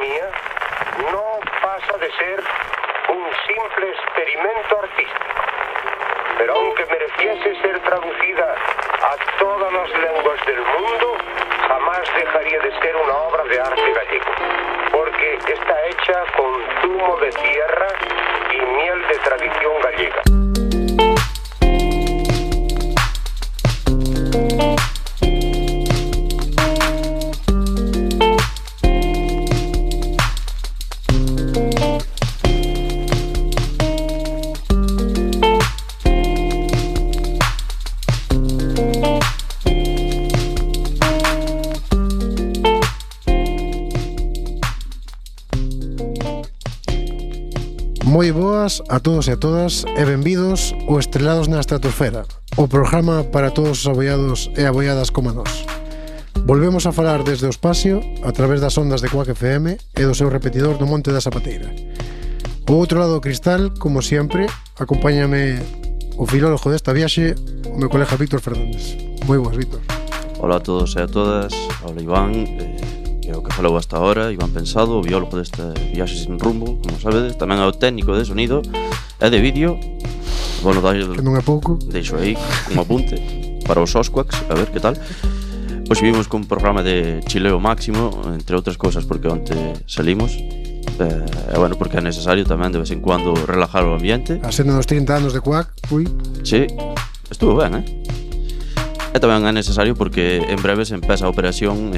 mía no pasa de ser un simple experimento artístico. Pero aunque mereciese ser traducida a todas las lenguas del mundo, jamás dejaría de ser una obra de arte gallego, porque está hecha con zumo de tierra y miel de tradición gallega. Moi boas a todos e a todas e benvidos o Estrelados na Estratosfera, o programa para todos os aboiados e aboiadas como nós. Volvemos a falar desde o espacio a través das ondas de Quack FM e do seu repetidor no Monte da Zapateira. O outro lado do cristal, como sempre, acompáñame o filólogo desta viaxe, o meu colega Víctor Fernández. Moi boas, Víctor. Hola a todos e a todas, hola Iván, que é o que falou hasta ahora, Iván Pensado, o biólogo deste viaxe sin rumbo, como sabedes, tamén é o técnico de sonido e de vídeo. Bueno, que non é pouco. Deixo aí un apunte para os Osquaks, a ver que tal. Pois vimos con un programa de chileo máximo, entre outras cousas, porque onte salimos. E bueno, porque é necesario tamén de vez en cuando relajar o ambiente. A senda dos 30 anos de Quack, ui. Sí, estuvo ben, E tamén é necesario porque en breve se empeza a operación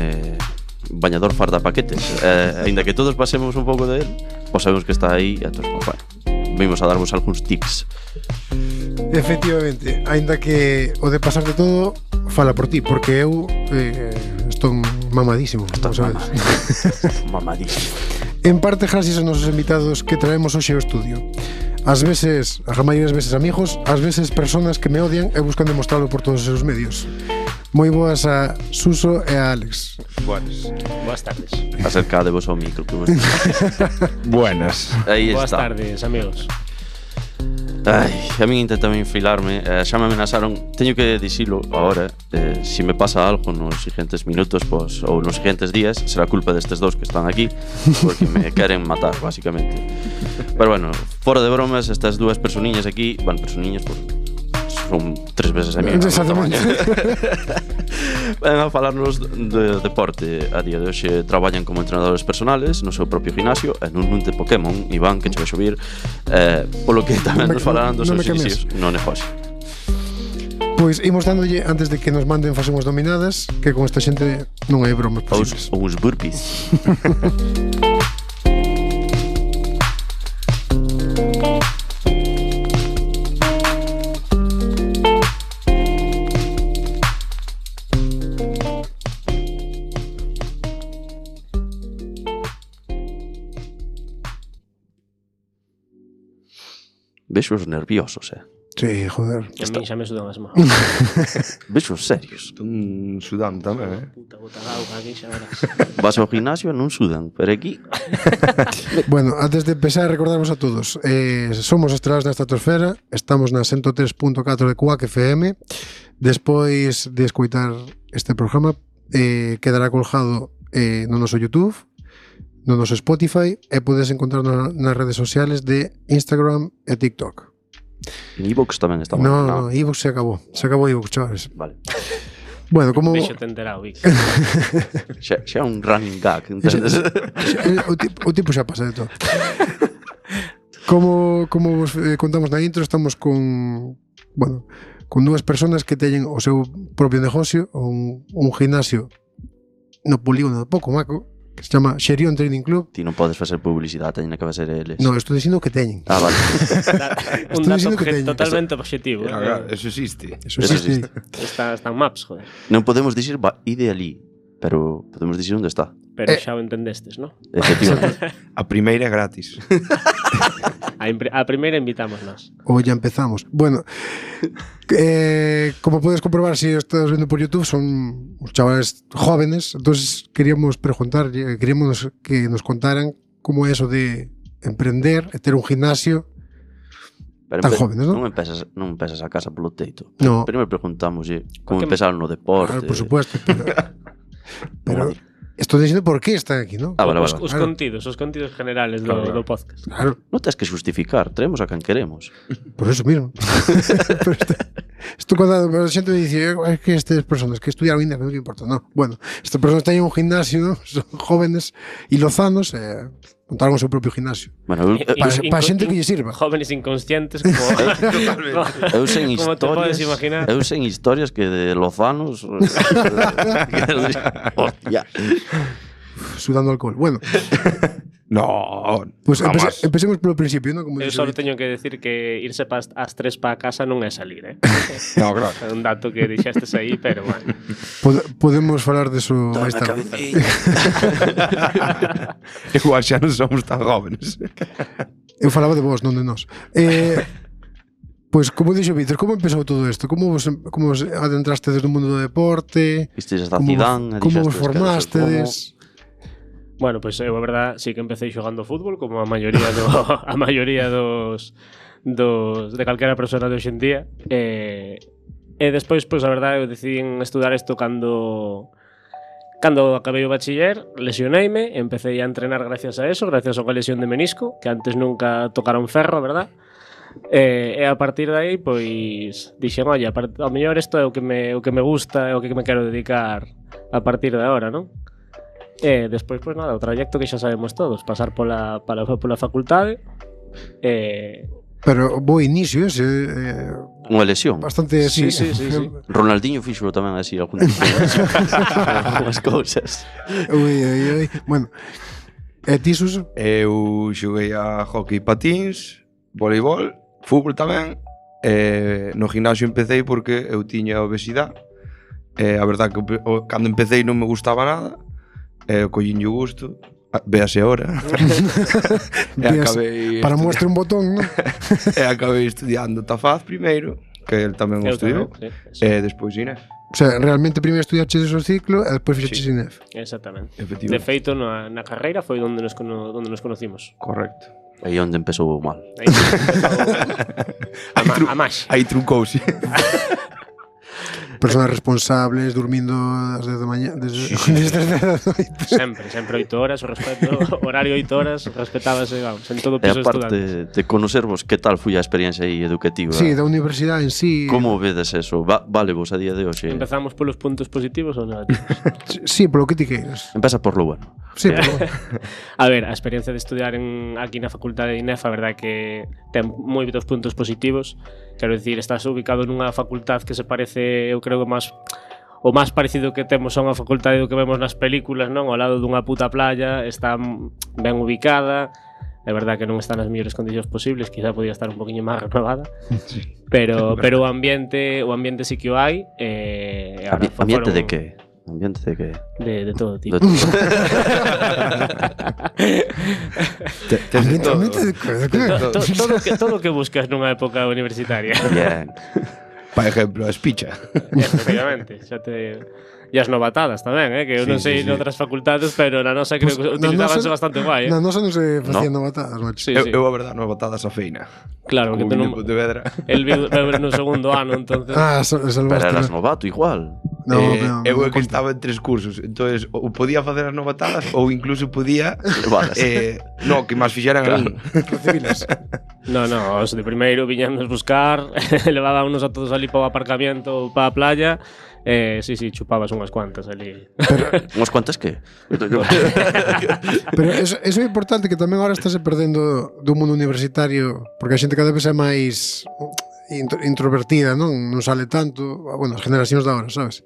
bañador farda paquetes, ainda que todos pasemos un pouco de él, pois sabemos que está aí, e entón, bueno, vimos a darvos algúns tips. Efectivamente, ainda que o de pasar de todo fala por ti, porque eu estou mamadísimo, como sabes. Mamadísimo. En parte gracias aos nosos invitados que traemos hoxe ao estudio. Ás veces, a maioría das veces amigos, ás veces personas que me odian e buscan demostrarlo por todos os seus medios. Moi boas a Suso e a Alex. Boas tardes. Acercadevos ao micro que Buenas. Aí Boas está. tardes, amigos. Ai, a min intentan infilarme, xa me amenazaron. Teño que dicilo agora, se me pasa algo nos siguientes minutos, pois, ou nos siguientes días, será culpa destes dous que están aquí, porque me queren matar, basicamente. Pero bueno, fora de bromas, estas dúas personiñas aquí, bueno, personiñas porque son 3 veces a mí. Exactamente. Ven a falarnos de deporte. A día de hoxe traballan como entrenadores personales no seu propio gimnasio e nun de Pokémon, Iván, que che vai subir, polo que tamén nos falarán dos seus inicios no negocio. Pois imos dándolle, antes de que nos manden facemos dominadas, que con esta xente non hai bromas posibles. Ou os burpees. Vexos nerviosos, Sí, joder. A mí xa me sudan as mãos. Vexos serios. Están sudando tamén, Puta gota de auga aquí xa verás. Vas ao gimnasio e non sudan, pero aquí... Bueno, antes de empezar, recordarvos a todos, somos Estrelados na Estratosfera, estamos na 103.4 de Quack FM. Despois de escoitar este programa, quedará colgado no noso YouTube, no noso Spotify, e podes encontrarnos nas redes sociales de Instagram e TikTok. En iVoox tamén estamos. No, iVoox se acabou iVoox, chavales. Vale. Bueno, como... Vexo te enterado, Vic. Xa un running gag, entendes? O tipo xa pasa de todo. Como vos contamos na intro, estamos con dúas personas que teñen o seu propio negocio, un gimnasio no polígono de Pocomaco, que se chama Xerión Training Club. Ti non podes facer publicidade, teñen que facer eles. No, estou dicindo que teñen. Ah, vale. Un dato totalmente objetivo. Eso existe. Eso existe. Están maps, joder. Non podemos dicir ide ali, pero podemos dicir onde está. Pero xa o entendestes, ¿no? Efectivamente. A primeira é gratis. A primeira invitamos nós. Ou ya empezamos. Bueno, como podes comprobar, se estás vendo por YouTube, son os chavales jóvenes. Entonces queríamos preguntar, queríamos que nos contaran como é eso de emprender e ter un gimnasio. Pero tan jóvenes, non? Non empezas a casa polo teito. No. Primeiro preguntamos como empezaron no deporte. Claro, por supuesto, pero Estou dicindo por que están aquí, non? Vale. Os contidos generales do podcast. Claro, Non tens que justificar, traemos a quen queremos. por eso mismo. Pero isto cando a xente me dice é que estas personas que estudiaron INEF non que importa, non. Bueno, estas personas teñen un gimnasio, ¿no? Son jóvenes e lozanos montaron o seu propio gimnasio. Bueno, Para xente que lle sirva. Jóvenes inconscientes como eu sen como te podes historias, imaginar. eu sen historias que de lozanos. Hostia. Sudando alcohol. Bueno, No, pues jamás. empecemos polo principio, ¿no? Como Eu dice só David. teño que decir que irse ás 3 para casa non é salir, No, claro. É un dato que dixestes aí, pero bueno. Podemos falar deso máis tarde. Igual xa non somos tan jóvenes. Eu falaba de vos, non de nós. Pois, como dixo Víctor, como empezou todo isto? Como vos adentraste desde o mundo do deporte? Vistes da Como Zidane, vos formastedes? Bueno, pois eu a verdad sí que empecé xogando fútbol como a maioría dos de calquera persona de hoxe en día. E despois, pois a verdade, eu decidí estudar isto cando acabei o bachiller, lesioneime, empecé a entrenar gracias a eso, gracias a unha lesión de menisco, que antes nunca tocara un ferro, verdad? E a partir de aí, pois dixen, olla, ao mellor isto é o que me gusta, é o que me quero dedicar a partir de agora, non? E despois, pois nada, o trayecto que xa sabemos todos, pasar pola facultade. Pero bo inicio ese, Unha lesión. bastante así. Sí. Ronaldinho fixo tamén así algunhas cousas. Ui. Bueno, e ti, Suso? Eu xoguei a hockey patins, voleibol, fútbol tamén. No gimnasio empecé porque eu tiña obesidade. A verdade que cando empecé non me gustaba nada. Collinlle o gusto. Véase ahora. Para muestra un botón, non? E acabei estudiando Tafaz primeiro, que el tamén o estudiou. Sí. Despois INEF. O sea, realmente primeiro estudiaste o ciclo e despois fixaches INEF. Exactamente. Efectivamente. De feito, na carreira foi onde nos conocimos. Correcto. Aí onde empezou mal. Aí empezou a máis. Aí truncouse. Personas responsables, durmindo ás 10 da mañá, desde as 10 da noite. Sempre 8 horas, o respeto, horario 8 horas, respetábase, vamos, en todo E piso de aparte estudantes. de conocervos, que tal foi a experiencia aí educativa? Sí, da universidade en sí. Como vedes eso? Vale vos a día de hoxe? Empezamos polos puntos positivos ou negativos? Sí, polo que ti queiras. Empeza por lo bueno. Sí, pero A ver, a experiencia de estudiar aquí na facultade de INEF, a verdade é que ten moitos puntos positivos. Quero dicir, estás ubicado nunha facultad que se parece, eu creo que o máis parecido que temos a unha facultade do que vemos nas películas, non? Ao lado dunha puta playa, está ben ubicada. É verdade que non está nas mellores condicións posibles, quizá podía estar un poquinho máis renovada. Sí. Pero o ambiente sí que o hai. Ambiente de que? Ambiente de que? De todo tipo. De todo. Todo o que buscas nunha época universitaria. Bien. Por exemplo, a espicha. Efectivamente, e as novatadas tamén, que eu non sei noutras facultades, pero na nosa creo que utilizábanse bastante guai, na nosa non se facían novatadas, macho. Sí. Eu a verdade, non botadas a feina. Claro, que Como tú non... vine de Vedra. El viu no segundo ano, entonces... Pero eras novato igual. No, eu é que estaba en 3 cursos. Entonces, ou podía facer as novatadas ou incluso podía no, que máis fixeran a min. Recibilas. No, os de primeiro viñanos buscar, levábamos a todos ali para o aparcamiento ou para a playa. Sí, chupabas unhas cuantas ali. Unhas cuantas que? Pero eso é importante, que tamén agora estáse perdendo do mundo universitario, porque a xente cada vez é máis introvertida, non sale tanto, bueno, as generacións de agora, sabes?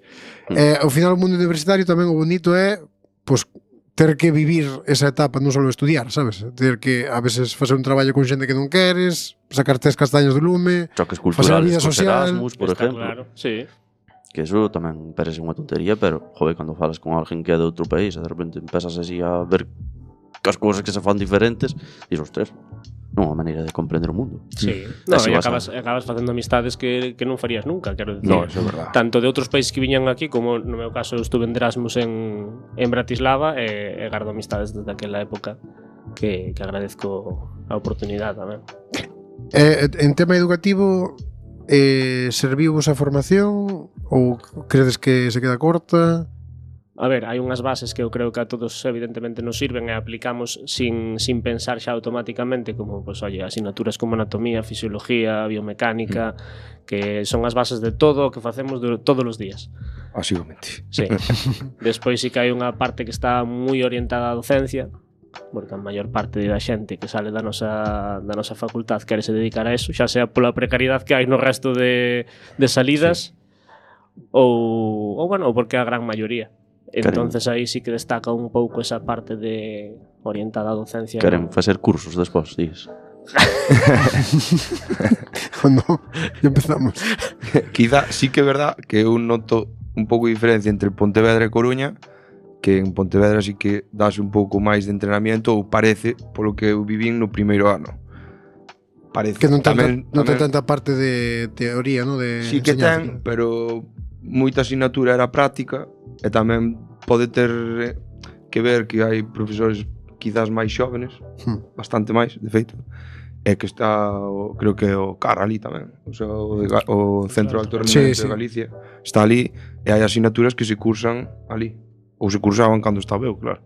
Ao final o mundo universitario tamén o bonito é, pois, ter que vivir esa etapa, non só estudiar, sabes? Ter que, a veces, facer un traballo con xente que non queres, sacarte as castañas do lume, choques facer a culturales vida cos social. Erasmus, por Está exemplo. claro, sí. Que eso tamén parece unha tontería, pero, joder, cando falas con alguén que é de outro país e de repente empezas así a ver que as cousas que se fan diferentes, dices, ostras, non é unha maneira de comprender o mundo. Sí. No, Así e vas acabas facendo amistades que non farías nunca, quero dicir. No, eso é verdade. Tanto de outros países que viñan aquí, como no meu caso eu estuve en Erasmus en Bratislava, e gardo amistades desde aquela época que agradezco a oportunidade tamén. En tema educativo, serviu vos a formación ou credes que se queda corta? a ver, hai unhas bases que eu creo que a todos evidentemente nos sirven e aplicamos sin pensar xa automáticamente, como, pues, oye, asignaturas como anatomía, fisiología, biomecánica, que son as bases de todo o que facemos todos os días. Básicamente. Sí. Despois sí que hai unha parte que está moi orientada á docencia, porque a maior parte da xente que sale da nosa facultad quere se dedicar a eso, xa sea pola precariedade que hai no resto de salidas, ou bueno, ou porque a gran maioría. Entonces aí sí que destaca un pouco esa parte de orientada á docencia. Queren facer cursos despois, dices. No, ya empezamos. Quizá sí que é verdad que eu noto un pouco de diferencia entre Pontevedra e Coruña, que en Pontevedra sí que dase un pouco máis de entrenamiento, ou parece, polo que eu vivín no primeiro ano. Parece. Que non ten tanta parte de teoría, ¿no? De sí que enseñanza. ten, pero moita asignatura era práctica, e tamén pode ter que ver que hai profesores quizás máis xóvenes, bastante máis, de feito, e que está, creo que o CAR ali tamén, o sea, o Centro de Alto Rendimento de Galicia, está ali, e hai asignaturas que se cursan ali, ou se cursaban cando estaba eu, claro.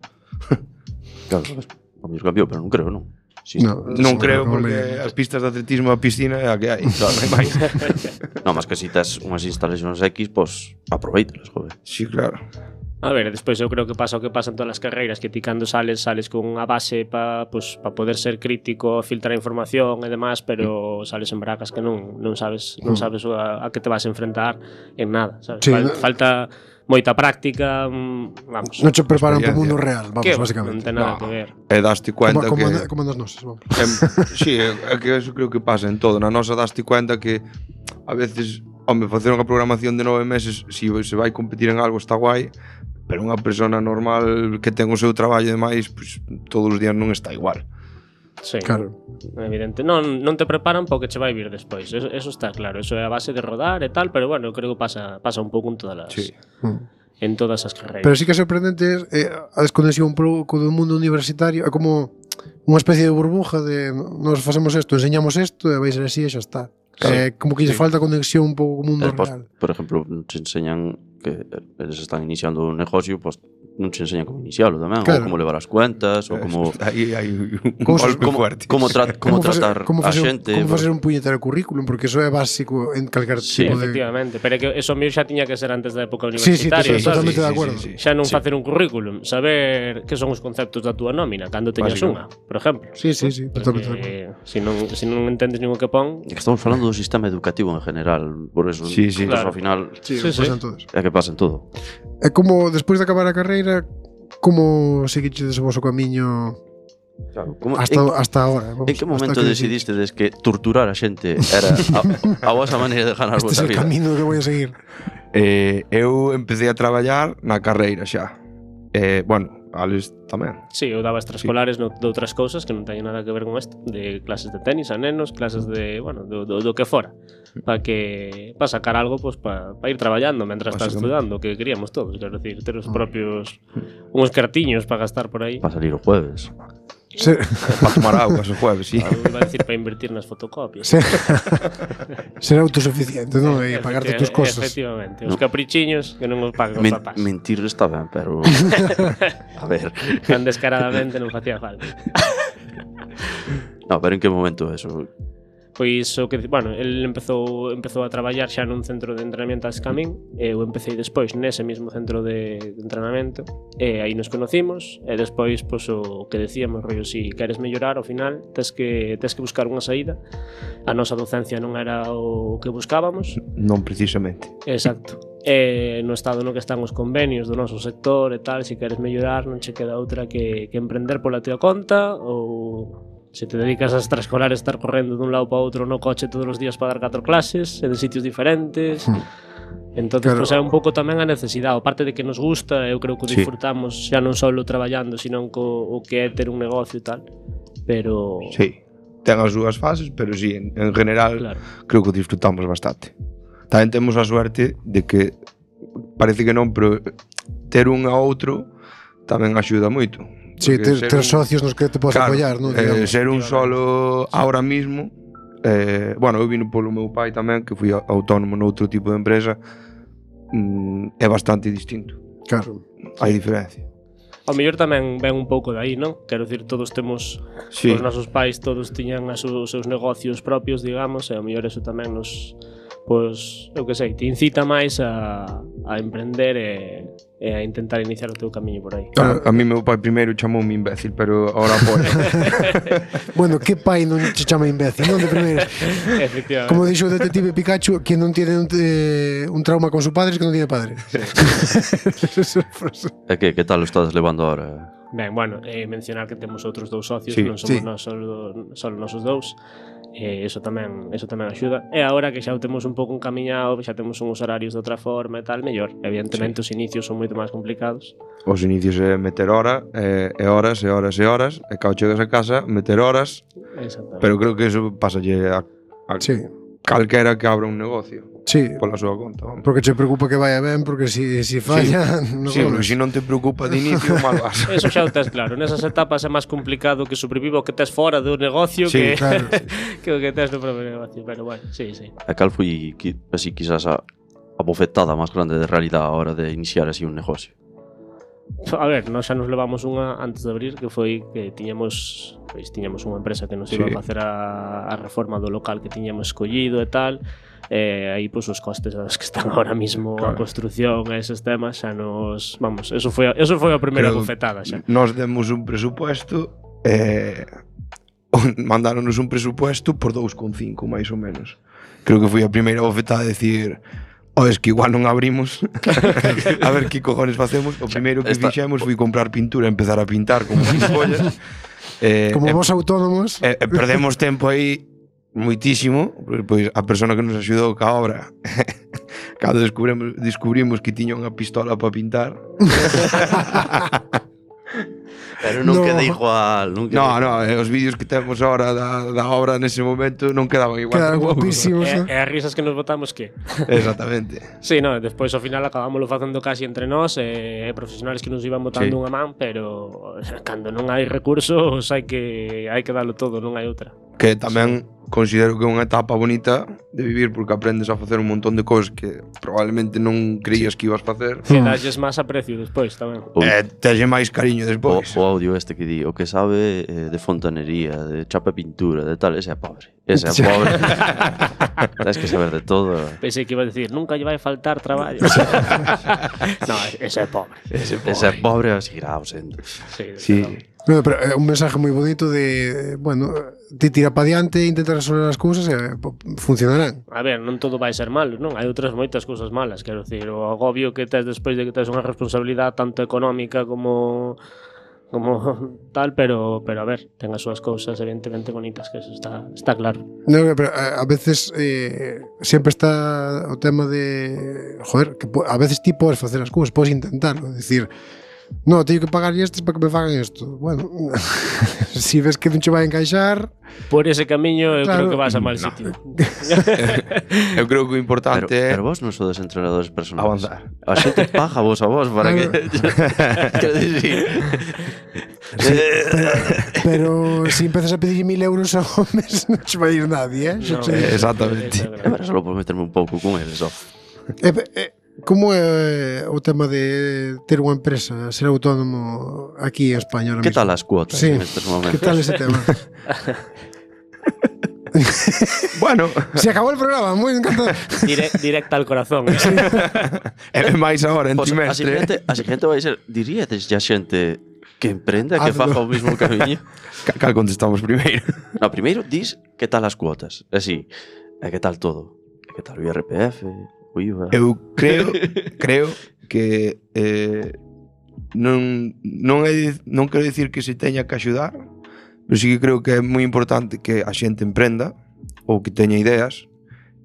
Claro, a mí cambiou, pero non creo, non? Sí, non creo, porque as pistas de atletismo a piscina é a que hai, claro, non hai máis. Non, mas que si tes unhas instalacións X, pois aproveitelas, joder. Sí, claro. A ver, despois eu creo que pasa o que pasa en todas as carreiras, que ti cando sales con unha base para poder ser crítico, filtrar información e demás, pero sales en bracas que non sabes a que te vas a enfrentar en nada, sabes? Sí, Falta moita práctica, vamos. Non che preparan para o mundo real, vamos, básicamente. Non ten nada que ver. E daste cuenta que... Como nas nosas, vamos. Sí, é que eso creo que pasa en todo. Na nosa daste cuenta que a veces, home, facer unha programación de 9 meses, si se vai competir en algo está guai, pero unha persona normal que ten o seu traballo e demais, pues, todos os días non está igual. Sí, claro. Evidente. Non te preparan para o que che vai vir despois. Eso está claro. Eso é a base de rodar e tal, pero bueno, eu creo que pasa un pouco en todas as... Sí. En todas as carreiras. Pero sí que é sorprendente a desconexión un pouco do mundo universitario. É como unha especie de burbuja de nos facemos isto, enseñamos isto e vai ser así e xa está. Sí. Como que lle falta conexión un pouco co mundo Despois, real. por exemplo, se enseñan que eles están iniciando un negocio, pues non se enseñan como inicialo tamén, claro. ou como levar as cuentas, ou como aí hai un golpe fuerte. Como tratar a xente. Como facer un puñetero currículum, porque eso é básico en calquer tipo de... Efectivamente, pero é que eso mío xa tiña que ser antes da época universitaria. Sí, totalmente de acordo. Xa non facer un currículum, saber que son os conceptos da túa nómina cando teñas unha, por exemplo. Sí, totalmente de acordo. Se non entendes ningún que pon... É que estamos falando do sistema educativo en general, por eso, claro. Ao final, pasan todos. é que pasa en todo. É como, despois de acabar a carreira, como seguiches o voso camiño Claro, hasta ahora? En que momento decidiste que torturar a xente era a vosa maneira de ganar a vosa vida? Este é o camino que vou a seguir. Eu empecé a traballar na carreira xa. Bueno, Alex tamén. Sí, eu daba extraescolares de outras cousas que non teñen nada que ver con isto, de clases de tenis a nenos, clases de, bueno, do que fora, para sacar algo, pues para ir traballando mentras estás estudando, que queríamos todos, quero decir, ter os propios uns cartiños para gastar por aí. Para salir o jueves. Sí. Para tomar augas o jueves, sí. Iba a decir para invertir nas fotocopias. Sí. Ser autosuficiente, non? E pagarte tus cosas. Efectivamente, os caprichiños que non os pagan os papás. Mentir está ben, pero a ver, tan descaradamente non facía falta. No, pero en que momento eso? Pois o que, bueno, el empezou a traballar xa nun centro de entrenamiento a Escamín, e eu empecé despois nese mesmo centro de entrenamento, e aí nos conocimos, e despois, pois, o que decíamos, rollo, si queres mellorar, ao final, tes que buscar unha saída. A nosa docencia non era o que buscábamos. Non precisamente. Exacto. E no estado no que están os convenios do noso sector e tal, se queres mellorar, non che queda outra que emprender pola tua conta, ou se te dedicas a extraescolar, estar correndo dun lado para outro no coche todos os días para dar 4 clases e de sitios diferentes. Entonces, claro, pues é un pouco tamén a necesidade, aparte de que nos gusta, eu creo que o disfrutamos xa non só traballando, sino o que é ter un negocio e tal. Pero sí, ten as súas fases, pero sí, en general, claro, creo que o disfrutamos bastante. Tamén temos a suerte de que parece que non, pero ter un a outro tamén axuda moito. Sí, ter socios nos que te podes apoiar, non? Ser un solo ahora mismo, bueno, eu vino polo meu pai tamén, que fui autónomo noutro tipo de empresa, é bastante distinto. Claro. Hai diferencia. Ao mellor tamén ven un pouco de aí, non? Quero dicir, todos temos Sí. os nosos pais, todos tiñan os seus negocios propios, digamos, e ao mellor eso tamén nos, pois, eu que sei, te incita máis a emprender e a intentar iniciar o teu camiño por aí. A mí meu pai primeiro chamoume imbécil, pero ahora apoio. Bueno, que pai non che chama imbécil, non de primeira. Efectivamente. Como dixo o detective Pikachu, quien non tiene un trauma con su padre es que non tiene padre. E que tal o estás levando ahora? Ben, bueno, mencionar que temos outros dous socios, Sí, non somos sí. nós solo nosos dous. Eso tamén axuda. E agora que xa o temos un pouco encamiñado, xa temos uns horarios de outra forma e tal, mellor. Evidentemente os inicios son moito máis complicados. Os inicios é meter hora, e horas, e horas, e horas, e cao chegas a casa, meter horas, Exactamente. pero creo que eso pásalle a Sí, calquera que abra un negocio sí. pola súa conta. Vamos. Porque che preocupa que vaya ben, porque si falla, non Sí, porque golas. se non te preocupa de inicio, mal vas. Eso xa o tes claro. Nesas etapas é máis complicado que sobreviva o que tes fora do negocio Sí, que, claro. que o que tes no propio negocio. Pero bueno, sí. E cal foi, así, quizás a bofetada máis grande de realidade a hora de iniciar así un negocio? A ver, nós xa nos levamos unha antes de abrir, que foi que tiñamos unha empresa que nos iba Sí. a facer a reforma do local que tiñamos escollido e tal. Aí pois os costes dos que están ahora mismo a Claro. construción e eses temas xa nos, vamos, eso foi a primeira Creo- bofetada xa. Nos demos un presupuesto mandáronos un presupuesto por 2,5 máis ou menos. Creo que foi a primeira bofetada de decir es que igual non abrimos a ver que cojones facemos. O primeiro que fixemos foi comprar pintura e empezar a pintar como pollas. Como vos autónomos, Perdemos tempo aí moitísimo, pois a persona que nos axudou ca obra cando descubrimos que tiña unha pistola para pintar. Pero non No. queda igual, non queda No, os vídeos que temos ahora da obra nese momento non quedaban igual. quedan tampouco. guapísimos. ¿no? E as risas que nos botamos que? Exactamente. Sí, no, despois ao final acabámoslo facendo casi entre nós e profesionales que nos iban botando Sí. unha man, pero cando non hai recursos hai que dalo todo, non hai outra. Que tamén considero que é unha etapa bonita de vivir porque aprendes a facer un montón de cousas que probablemente non creías que ibas facer. Que dalles máis aprecio despois tamén. Texe máis cariño o despois. audio este que di, o que sabe de fontanería, de chapa e pintura, de tal, ese é pobre. Ese é pobre. Tens que saber de todo. Pensei que iba a decir, nunca lle vai faltar traballo. No, ese é pobre. Ese é pobre e seguirá sendo. Sí, Sí. No, pero é un mensaje moi bonito de, bueno, te tira para diante e intentar resolver as cousas e funcionarán. A ver, non todo vai ser malo, non? Hai outras moitas cousas malas, quero dicir, o agobio que tes despois de que tes unha responsabilidade tanto económica como tal, pero a ver, ten as súas cousas evidentemente bonitas, que eso está claro. No, pero a veces sempre está o tema de, joder, que a veces ti podes facer as cousas, podes intentarlo, decir, no, teño que pagar estes para que me fagan isto. Bueno, si ves que non che vai encaixar, Por ese camiño eu Claro. creo que vas a mal sitio. Eu creo que o importante Pero é vos non sodes entrenadores personales. avanzar. A xente paga vos a vos para que... Quero dicir... pero si empezas a pedir 1.000 euros ao mes non che vai ir nadie, xa No, che digo. Exactamente. Agora só por meterme un pouco con eles, só. Como é o tema de ter unha empresa, ser autónomo aquí en España ahora Que mismo? tal as cuotas Sí. en estes momentos? Que tal ese tema? Bueno, Se acabou el programa, moi encantado. Directa al corazón. é máis agora en Pois trimestre. a xente vai ser... Diríades ya xente que emprenda, que Hazlo. faga o mismo camiño? Cal contestamos primeiro? No, primeiro dis que tal as cuotas. Así, e que tal todo? E que tal o IRPF, o IVA? Eu creo que non quero dicir que se teña que axudar, pero sí que creo que é moi importante que a xente emprenda ou que teña ideas,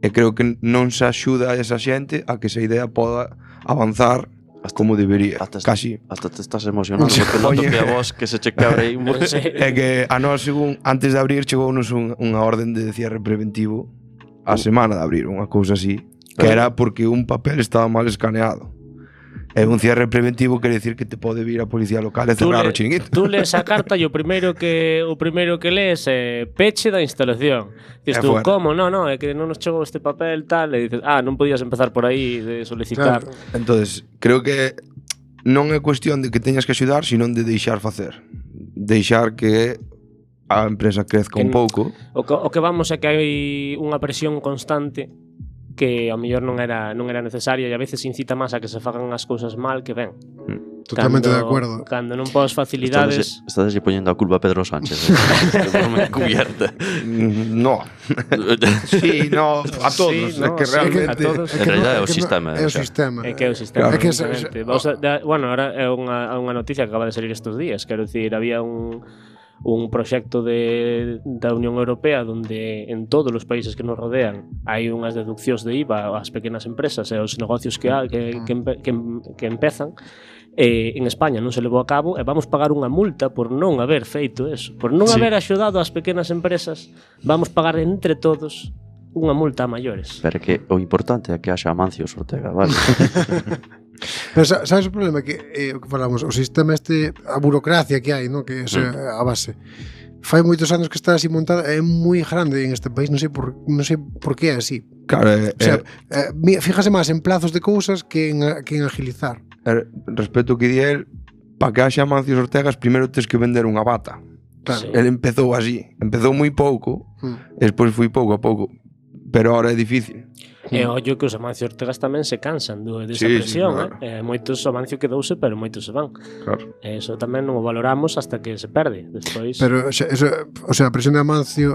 e creo que non se axuda a esa xente a que esa idea poda avanzar como debería. Hasta Casi. te estás emocionando porque noto Oye. que a vos que se che quebre aí un Sí. É que a nós, según antes de abrir, chegounos unha orden de cierre preventivo a semana de abrir, unha cousa así, que era porque un papel estaba mal escaneado. E un cierre preventivo quere decir que te pode vir a policía local e cerrar o chiringuito. Tú lees a carta e o primeiro que lees é peche da instalación. Dices É tú, fuera. como? No, é que non nos chegou este papel tal, e dices, non podías empezar por aí de solicitar. Claro. Entonces, creo que non é cuestión de que teñas que axudar, sino de deixar facer. Deixar que a empresa crezca un pouco. O que vamos é que hai unha presión constante que ao mellor non era necesaria e a veces incita máis a que se fagan as cousas mal que ben. Totalmente de acuerdo. Cando non pos facilidades... Estás poniendo a culpa a Pedro Sánchez. De forma encubierta. No. Sí, no, a todos. Sí, no, que realmente... a todos. En realidad é o sistema. É o sistema. É que é o sistema. É que Bueno, ahora é unha noticia que acaba de salir estes días. Quero dicir, había un proxecto da Unión Europea donde en todos os países que nos rodean hai unhas deduccións de IVA ás pequenas empresas e aos negocios que empezan. En España non se levou a cabo e vamos pagar unha multa por non haber feito eso, por non haber axudado ás pequenas empresas. Vamos pagar entre todos unha multa a maiores. Pero que o importante é que haxa Amancio Ortega, vale? Pero sabes o problema? Que o que falamos, o sistema a burocracia que hai, ¿no? Que é a base. Fai moitos anos que está así montada, é moi grande en este país, non sei por que é así. Claro, fíjase máis en plazos de cousas que en agilizar. Respecto ao que di el, para que haxa Amancio Ortega, primeiro tens que vender unha bata. Claro. Sí. El empezou así, empezou moi pouco, e despois foi pouco a pouco, pero ahora é difícil. E ollo que os Amancio Ortegas tamén se cansan desa presión, claro. Moitos Amancio quedouse, pero moitos se van. Claro. Eso tamén non o valoramos hasta que se perde despois. Pero a presión de Amancio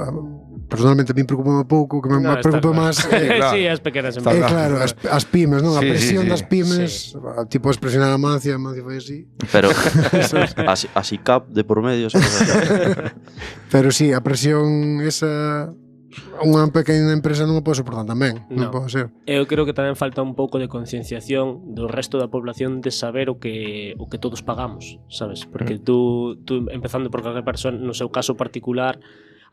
personalmente a mí preocupa un pouco, que me preocupa máis claro. Sí, as pequenas empresas. Claro, as pymes, non? A presión das pymes, tipo a expresión de Amancio fai así. Pero así cap de por medio. Pero sí, a presión esa unha pequena empresa non o pode soportar tamén, non pode ser. Eu creo que tamén falta un pouco de concienciación do resto da población de saber o que todos pagamos, sabes? Porque tú empezando por calquer persona, no seu caso particular,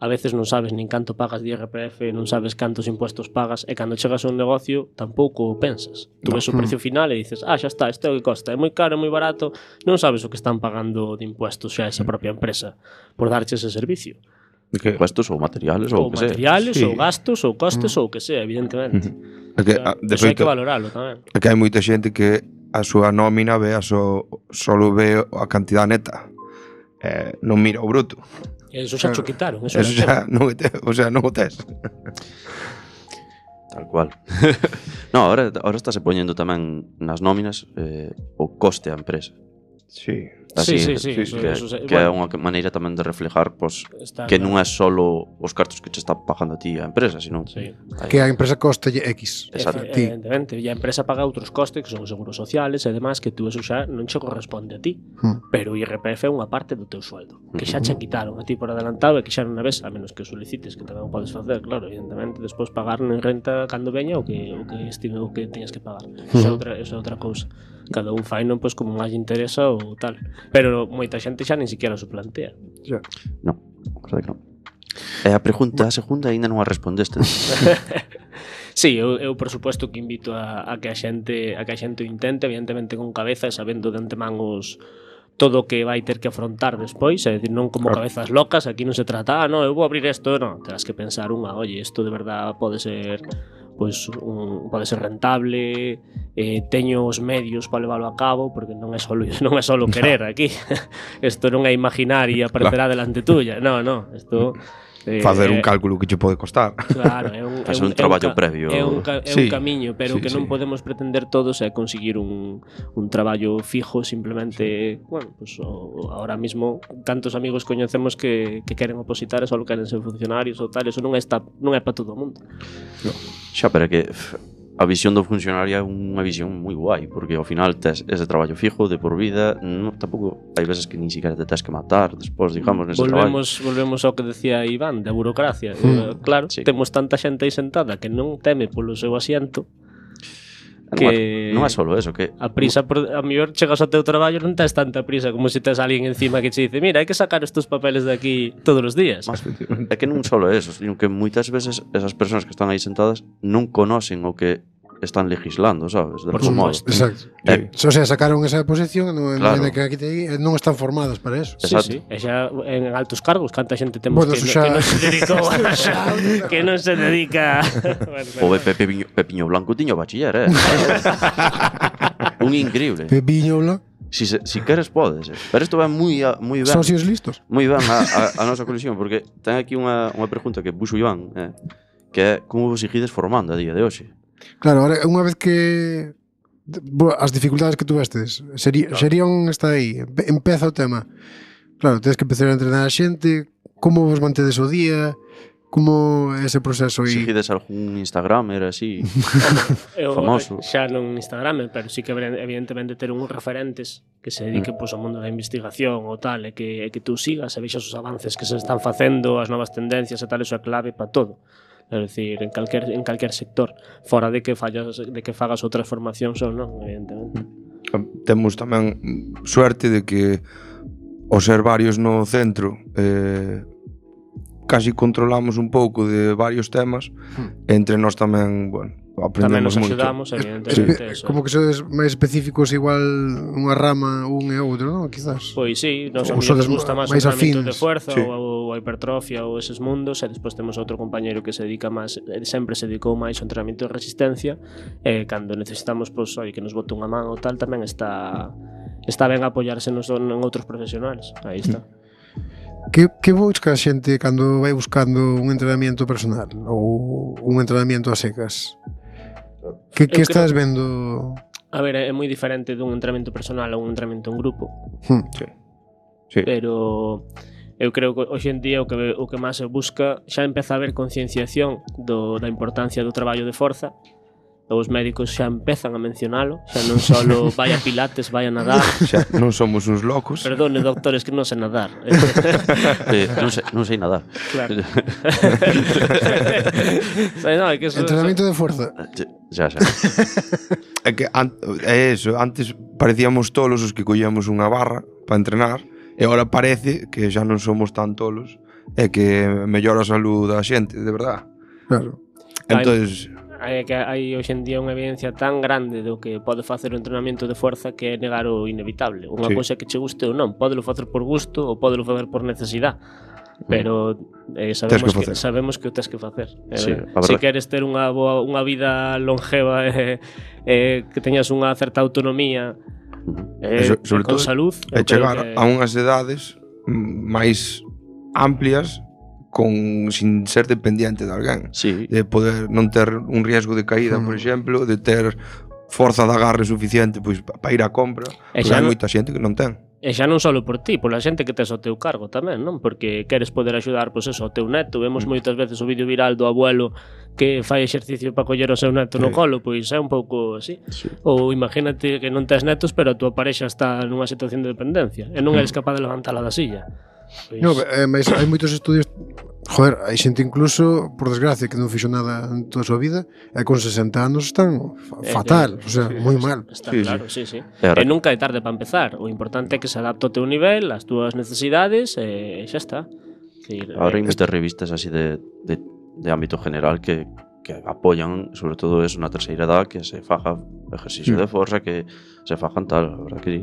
a veces non sabes nin canto pagas de IRPF, non sabes cantos impuestos pagas, e cando chegas a un negocio tampouco o pensas. Tú ves o precio final e dices, xa está, isto é o que costa, é moi caro, é moi barato, non sabes o que están pagando de impuestos xa esa propia empresa por darche ese servicio. Impuestos ou materiales ou que sea. Materiales, ou gastos, ou costes, ou que sea, evidentemente. Eso hai que valoralo tamén. É que hai moita xente que a súa nómina solo ve a cantidad neta, non mira o bruto. Eso xa cho quitaron. Eso xa non o tes. Tal cual. No, ahora estáse poñendo tamén nas nóminas o coste á empresa. Sí. Así, que é unha maneira tamén de reflejar que non é solo os cartos que che está pagando a ti a empresa, sino que a empresa coste X. Evidentemente, e a empresa paga outros costes que son os seguros sociales e demás, que tú eso xa non che corresponde a ti, pero o IRPF é unha parte do teu sueldo que xa che quitaron a ti por adelantado e que xa non a ves, a menos que o solicites, que tamén o podes facer, claro, evidentemente, despois pagar en renta cando veña o que teñas que pagar. Eso é outra cousa. Cada un fai non, pois, como máis interesa ou tal. Pero moita xente xa nin siquiera se plantea. Non, verdade que non. E a pregunta segunda aínda non a respondeste. Sí, eu por suposto que invito a que a xente o intente, evidentemente con cabeza e sabendo de antemán todo o que vai ter que afrontar despois, é dicir, non como cabezas locas, aquí non se trata, no, eu vou abrir isto, non, terás que pensar oye, isto de verdad pode ser pode ser rentable, teño os medios para leválo a cabo, porque non é solo querer aquí. Isto non é imaginar e aparecerá delante tuya. No, isto facer un cálculo que che pode costar. Claro, é un traballo previo. É un camiño, pero que non podemos pretender todos é conseguir un traballo fijo, simplemente, bueno, pues ahora mismo tantos amigos coñecemos que queren opositar e só queren ser funcionarios ou tal, eso non é para todo o mundo. No. Xa, pero que a visión do funcionario é unha visión moi guai, porque ao final tes ese traballo fijo de por vida, tampouco hai veces que nin siquiera te tes que matar despois, digamos, nese traballo. Volvemos ao que decía Iván, da burocracia. Claro, temos tanta xente aí sentada que non teme polo seu asiento, que non é solo eso, que a prisa, a mellor chegas ao teu traballo non tes tanta prisa como se tes alguén encima que che dice, mira, hai que sacar estes papeles de aquí todos os días. É que non solo eso, sino que moitas veces esas persoas que están aí sentadas non conocen o que están legislando, sabes? Por suposto. Exacto. O sea, sacaron esa posición que aquí non están formadas para eso. Sí. E xa en altos cargos, canta xente temos que non se dedicou que non se dedica. O Pepiño Blanco tiño bachiller, Un increíble. Pepiño Blanco. Si queres podes, pero isto vai moi ben. Socios listos. Moi ben a nosa colisión, porque ten aquí unha pregunta que puxo Iván, que é como vos seguides formando a día de hoxe? Claro, ahora unha vez que as dificultades que tuvestes serían está aí, empeza o tema. Claro, tens que empezar a entrenar a xente, como vos mantedes o día, como é ese proceso aí? Seguides algún Instagramer así famoso? Xa non Instagramer, pero sí que evidentemente ter uns referentes que se dediquen ao mundo da investigación ou tal, e que tú sigas e vexas os avances que se están facendo, as novas tendencias e tal, eso é clave para todo. É dicir, en calquer sector, fora de que fagas outras formacións ou non, evidentemente. Temos tamén suerte de que ao ser varios no centro casi controlamos un pouco de varios temas, entre nós tamén, bueno, aprendemos moito. Tamén nos axudamos, evidentemente. Como que sodes máis específicos igual unha rama un e outro, non? Quizás. Pois sí, nos gusta máis o entrenamento de fuerza ou a hipertrofia ou eses mundos, e despois temos outro compañeiro que se dedica máis, sempre se dedicou máis ao entrenamento de resistencia, e cando necesitamos, pois, que nos bote unha man ou tal, tamén está ben apoiarse en outros profesionales. Aí está. Que busca a xente cando vai buscando un entrenamiento personal ou un entrenamiento a secas? Que estás vendo? A ver, é moi diferente dun entrenamento personal a un entrenamento en grupo. Sí. Pero eu creo que hoxe en día o que máis se busca, xa empeza a haber concienciación da importancia do traballo de forza. Os médicos xa empezan a mencionalo, xa non só vai a pilates, vai a nadar. Xa non somos uns locos. Perdone, doctores, que non sei nadar. Non sei nadar. Claro. Entrenamiento de fuerza. Xa. É que é eso, antes parecíamos tolos os que collíamos unha barra para entrenar, e agora parece que xa non somos tan tolos, e que mellora a salud da xente, de verdad. Claro. Entonces, hai hoxe en día unha evidencia tan grande do que pode facer o entrenamento de fuerza que é negar o inevitable. Unha cousa que che guste ou non, pódelo facer por gusto ou pódelo facer por necesidade, pero sabemos que o tens que facer. Se queres ter unha vida longeva e que teñas unha certa autonomía con salud, e chegar a unhas edades máis amplias sin ser dependiente de alguén, de poder non ter un riesgo de caída, por exemplo, de ter forza de agarre suficiente pois para ir á compra, porque hai moita xente que non ten. E xa non só por ti, pola xente que tes ao teu cargo tamén, non? Porque queres poder axudar, pois eso, ao teu neto. Vemos moitas veces o vídeo viral do abuelo que fai exercicio para coller o seu neto no colo, pois é un pouco así. Ou imagínate que non tes netos, pero a tua parexa está nunha situación de dependencia e non eres capaz de levantala da silla. Pois... No, mas hai moitos estudios. Joder, hai xente incluso, por desgracia, que non fixo nada en toda a súa vida e con 60 anos están fatal, o sea, moi mal. Está claro, sí. E nunca é tarde para empezar. O importante é que se adapte ao teu nivel, ás túas necesidades e xa está. Ahora hai moitas revistas así de ámbito general que apoyan, sobre todo eso, na terceira edad, que se faja ejercicio de forza, que se fajan tal, a verdad que sí.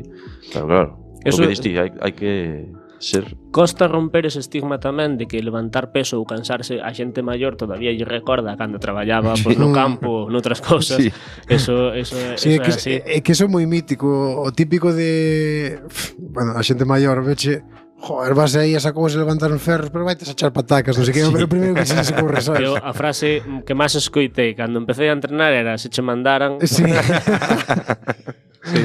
Pero claro, o que diste, hai que ser... Costa romper ese estigma tamén de que levantar peso ou cansarse a xente maior todavía lle recorda cando traballaba no campo, noutras cousas. Eso é así. É que eso é moi mítico, o típico de... Bueno, a xente maior, veche... Joder, vas aí a esa cousa levantar uns ferros, pero vaites a echar patacas, non sei que, pero o primeiro que se corre, sabes? A frase que máis escoitei cando empecé a entrenar era se che mandaran... Sí.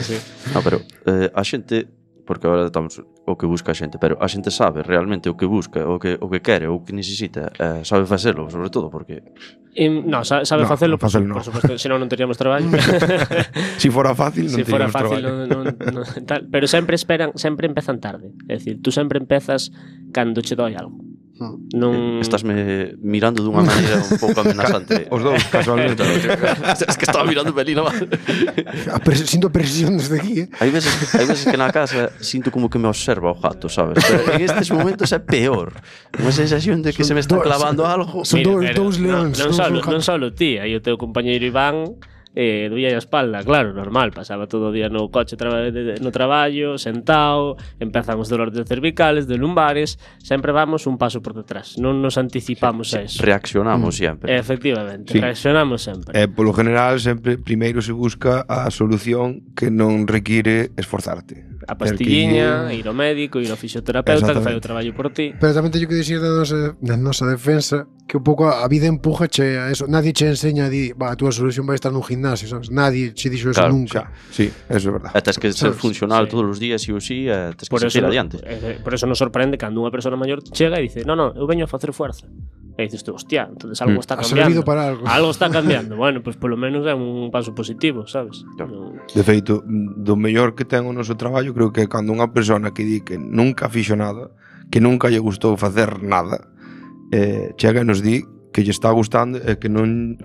Sí. No, pero a xente... Porque agora estamos o que busca a xente, pero a xente sabe realmente o que busca, o que quere, o que necesita, sabe facelo, sobre todo, porque... No, sabe facelo, por suposto, senón non teríamos traballo. Si fora fácil, non teríamos traballo. Tal, pero sempre empezan tarde. É dicir, tú sempre empezas cando che doi algo. Non... Estásme mirando dunha maneira un pouco amenazante. Os dous, casualmente. Es que estaba mirando pelina mal. Sinto presión desde aquí, Hai veces que na casa sinto como que me observa o gato, sabes? Pero en estes momentos é peor. Unha sensación de que se me está clavando algo. Son dous leóns. Non só ti, aí o teu compañeiro Iván doía a espalda, claro, normal, pasaba todo o día no coche no traballo, sentado, empezan os dolores de cervicales, de lumbares, sempre vamos un paso por detrás, non nos anticipamos a eso. Reaccionamos sempre. Efectivamente, Sí. reaccionamos sempre. Polo general, sempre primeiro se busca a solución que non require esforzarte. A pastilliña, Ter que ir ao médico, ir ao fisioterapeuta que fai o Exactamente. traballo por ti. Pero tamén teño que dicir na nosa defensa que un pouco a vida empujache a eso. Nadie che enseña a túa solución vai estar nun gimnasio, sabes? Nadie che dixo eso Claro, nunca. Xa, sí, eso é verdade. Tes que ser Sabes? funcional Sí. todos os días, sí ou sí, tes que Por eso, seguir adiante. por eso nos sorprende cando unha persona maior chega e dice no, eu veño a facer fuerza. E dices tú, hostia, entonces algo está Ha cambiando. servido para algo. Algo está cambiando. Bueno, pues polo menos é un paso positivo, sabes? Claro. De feito, do mellor que ten o noso traballo, creo que é cando unha persona que di que nunca fixo nada, que nunca lle gustou facer nada, chega e nos di que lle está gustando e que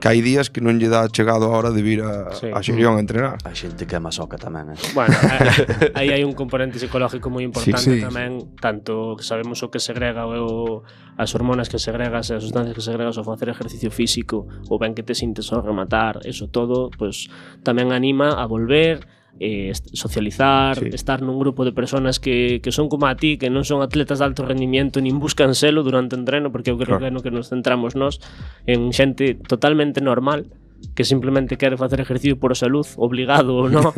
hai días que non lle dá chegado a hora de vir a Xerión a entrenar. A xente que é masoca tamén, Bueno, aí hai un componente psicológico moi importante Sí. tamén, tanto que sabemos o que segrega as hormonas que segregas e as sustancias que segregas ao facer exercicio físico, o ben que te sintes ao rematar, eso todo, pues tamén anima a volver, socializar, Sí. estar nun grupo de personas que son como a ti, que non son atletas de alto rendimiento nin buscan selo durante o entreno, porque eu creo Claro. que é no que nos centramos nós en xente totalmente normal que simplemente quere facer ejercicio por salud, obligado ou non.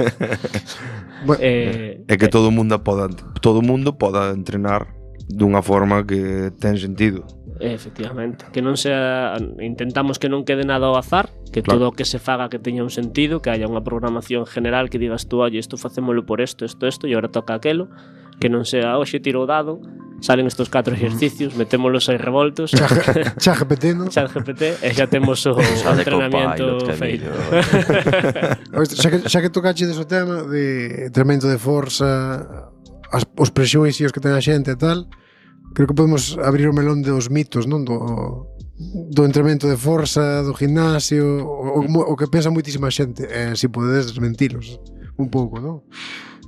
Bueno, É que todo o mundo poda entrenar dunha forma que ten sentido. Efectivamente, que non sea, intentamos que non quede nada ao azar, que Claro. todo o que se faga que teña un sentido, que haya unha programación general que digas tú, oye, isto facémolo por isto, e agora toca aquelo, que non sea, hoxe tiro o dado, salen estos 4 exercicios, metémolos aí revoltos, Xa GPT, non? chat GPT, e xa temos o Xa de entrenamiento Copilot, que feito. Xa que tocache deso tema de tremendo de forza, os prexuicios que ten a xente e tal, creo que podemos abrir o melón dos mitos, non? Do entrenamento de forza, do gimnasio, o que pensa moitísima xente, se podedes desmentilos un pouco, non?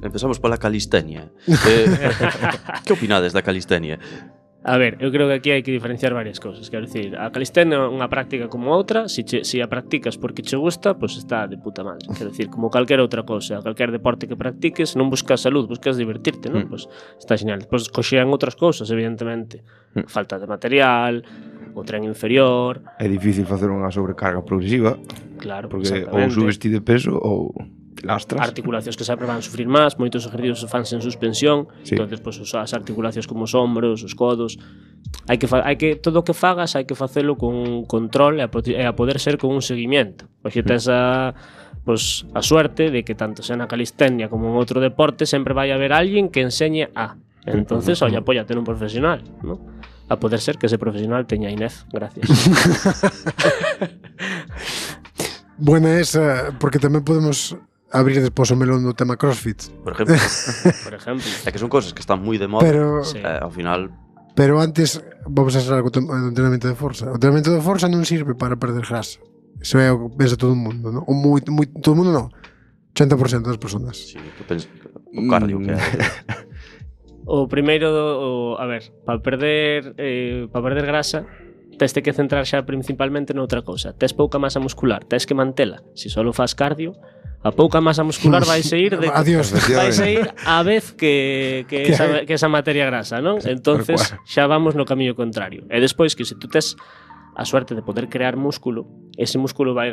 Empezamos pola calistenia. Que opinades da calistenia? A ver, eu creo que aquí hai que diferenciar varias cousas. Quero dicir, a calistenia é unha práctica como outra. Se a practicas porque che gusta, pois está de puta madre. Quero dicir, como calquera outra cousa, calquer deporte que practiques, non buscas salud, buscas divertirte, non? Pois está genial. Pois coxean outras cousas, evidentemente. Falta de material, o tren inferior, É difícil facer unha sobrecarga progresiva, claro, porque ou exactamente. subes ti de peso ou te lastras. Articulacións que sempre van a sufrir máis, moitos ejercicios fanse en suspensión, Sí. entonces pues, as articulacións como os hombros, os codos, hai que todo o que fagas hai que facelo con control e a poder ser con un seguimiento. Porque tes a suerte de que tanto sea na calistenia como en outro deporte sempre vai haber alguén que enseñe a. Entonces, oye, apóyate nun profesional, ¿no? A poder ser que ese profesional teña INEF, gracias. Buena esa, porque tamén podemos abrir despois o melón do tema CrossFit. Por exemplo, Por ejemplo. é que son cosas que están moi de moda. Pero Sí. Ao final, Pero antes vamos a ser algo do entrenamento de forza. O entrenamento de forza non sirve para perder grasa. Eso é o que pensa todo o mundo, non? O todo o mundo non. 80% das persoas. sí, o cardio que é. O primeiro, a ver, para perder grasa, tes que centrar xa principalmente noutra cousa. Tes pouca masa muscular, tes que mantela. Se só faz cardio, a pouca masa muscular vai ir de Adiós. vai ir a vez que esa materia grasa, non? Entonces xa vamos no camiño contrario. E despois que se tú tes a suerte de poder crear músculo, ese músculo vai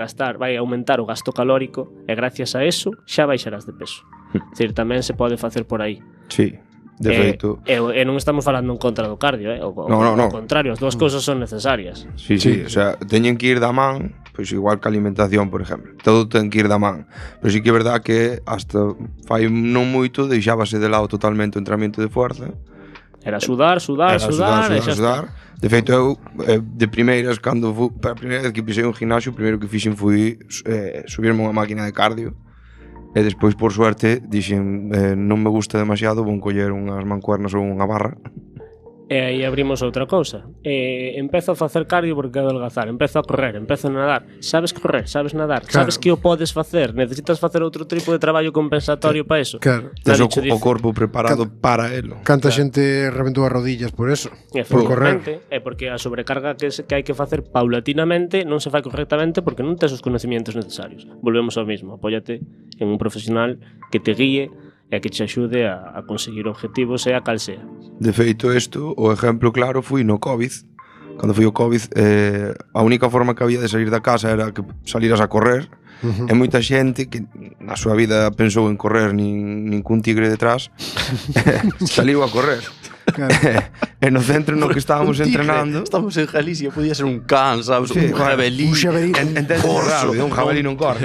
aumentar o gasto calórico e gracias a eso xa baixarás de peso. É dicir, tamén se pode facer por aí. Sí, de feito. E non estamos falando en contra do cardio, No. ao contrario, as dúas cousas son necesarias. Sí, o sea, teñen que ir da man, pois igual que a alimentación, por exemplo. Todo ten que ir da man. Pero sí que é verdad que hasta fai non moito deixábase de lado totalmente o entrenamento de forza. Era sudar, e xa está. De feito, eu de primeiras, cando a primeira vez que pisei un gimnasio, o primeiro que fixen foi subirme unha máquina de cardio. E despois, por suerte, dixen non me gusta demasiado, vou coller unhas mancuernas ou unha barra. E aí abrimos outra cousa. Empezo a facer cardio porque quero adelgazar. Empezo a correr, empezo a nadar. Sabes correr, sabes nadar, Claro. sabes que o podes facer. Necesitas facer outro tipo de traballo compensatorio para eso. Claro. Tes Nadie o, che o dice. corpo preparado para elo. Canta xente reventou as rodillas por eso. Por correr. Efectivamente, é porque a sobrecarga que hai que facer paulatinamente non se fai correctamente porque non tes os conocimientos necesarios. Volvemos ao mismo, apóyate en un profesional que te guíe e que te axude a conseguir objetivos, sea cal sea. De feito, isto, o exemplo claro foi no COVID. Cando foi o COVID, a única forma que había de salir da casa era que salieras a correr. E moita xente que na súa vida pensou en correr nin cun tigre detrás saliu a correr. Claro. E no centro no que estábamos entrenando, Estamos en Galicia, podía ser un can, sabes? Sí, un jabalí. un xabalí. entende raro, un jabalí non corre.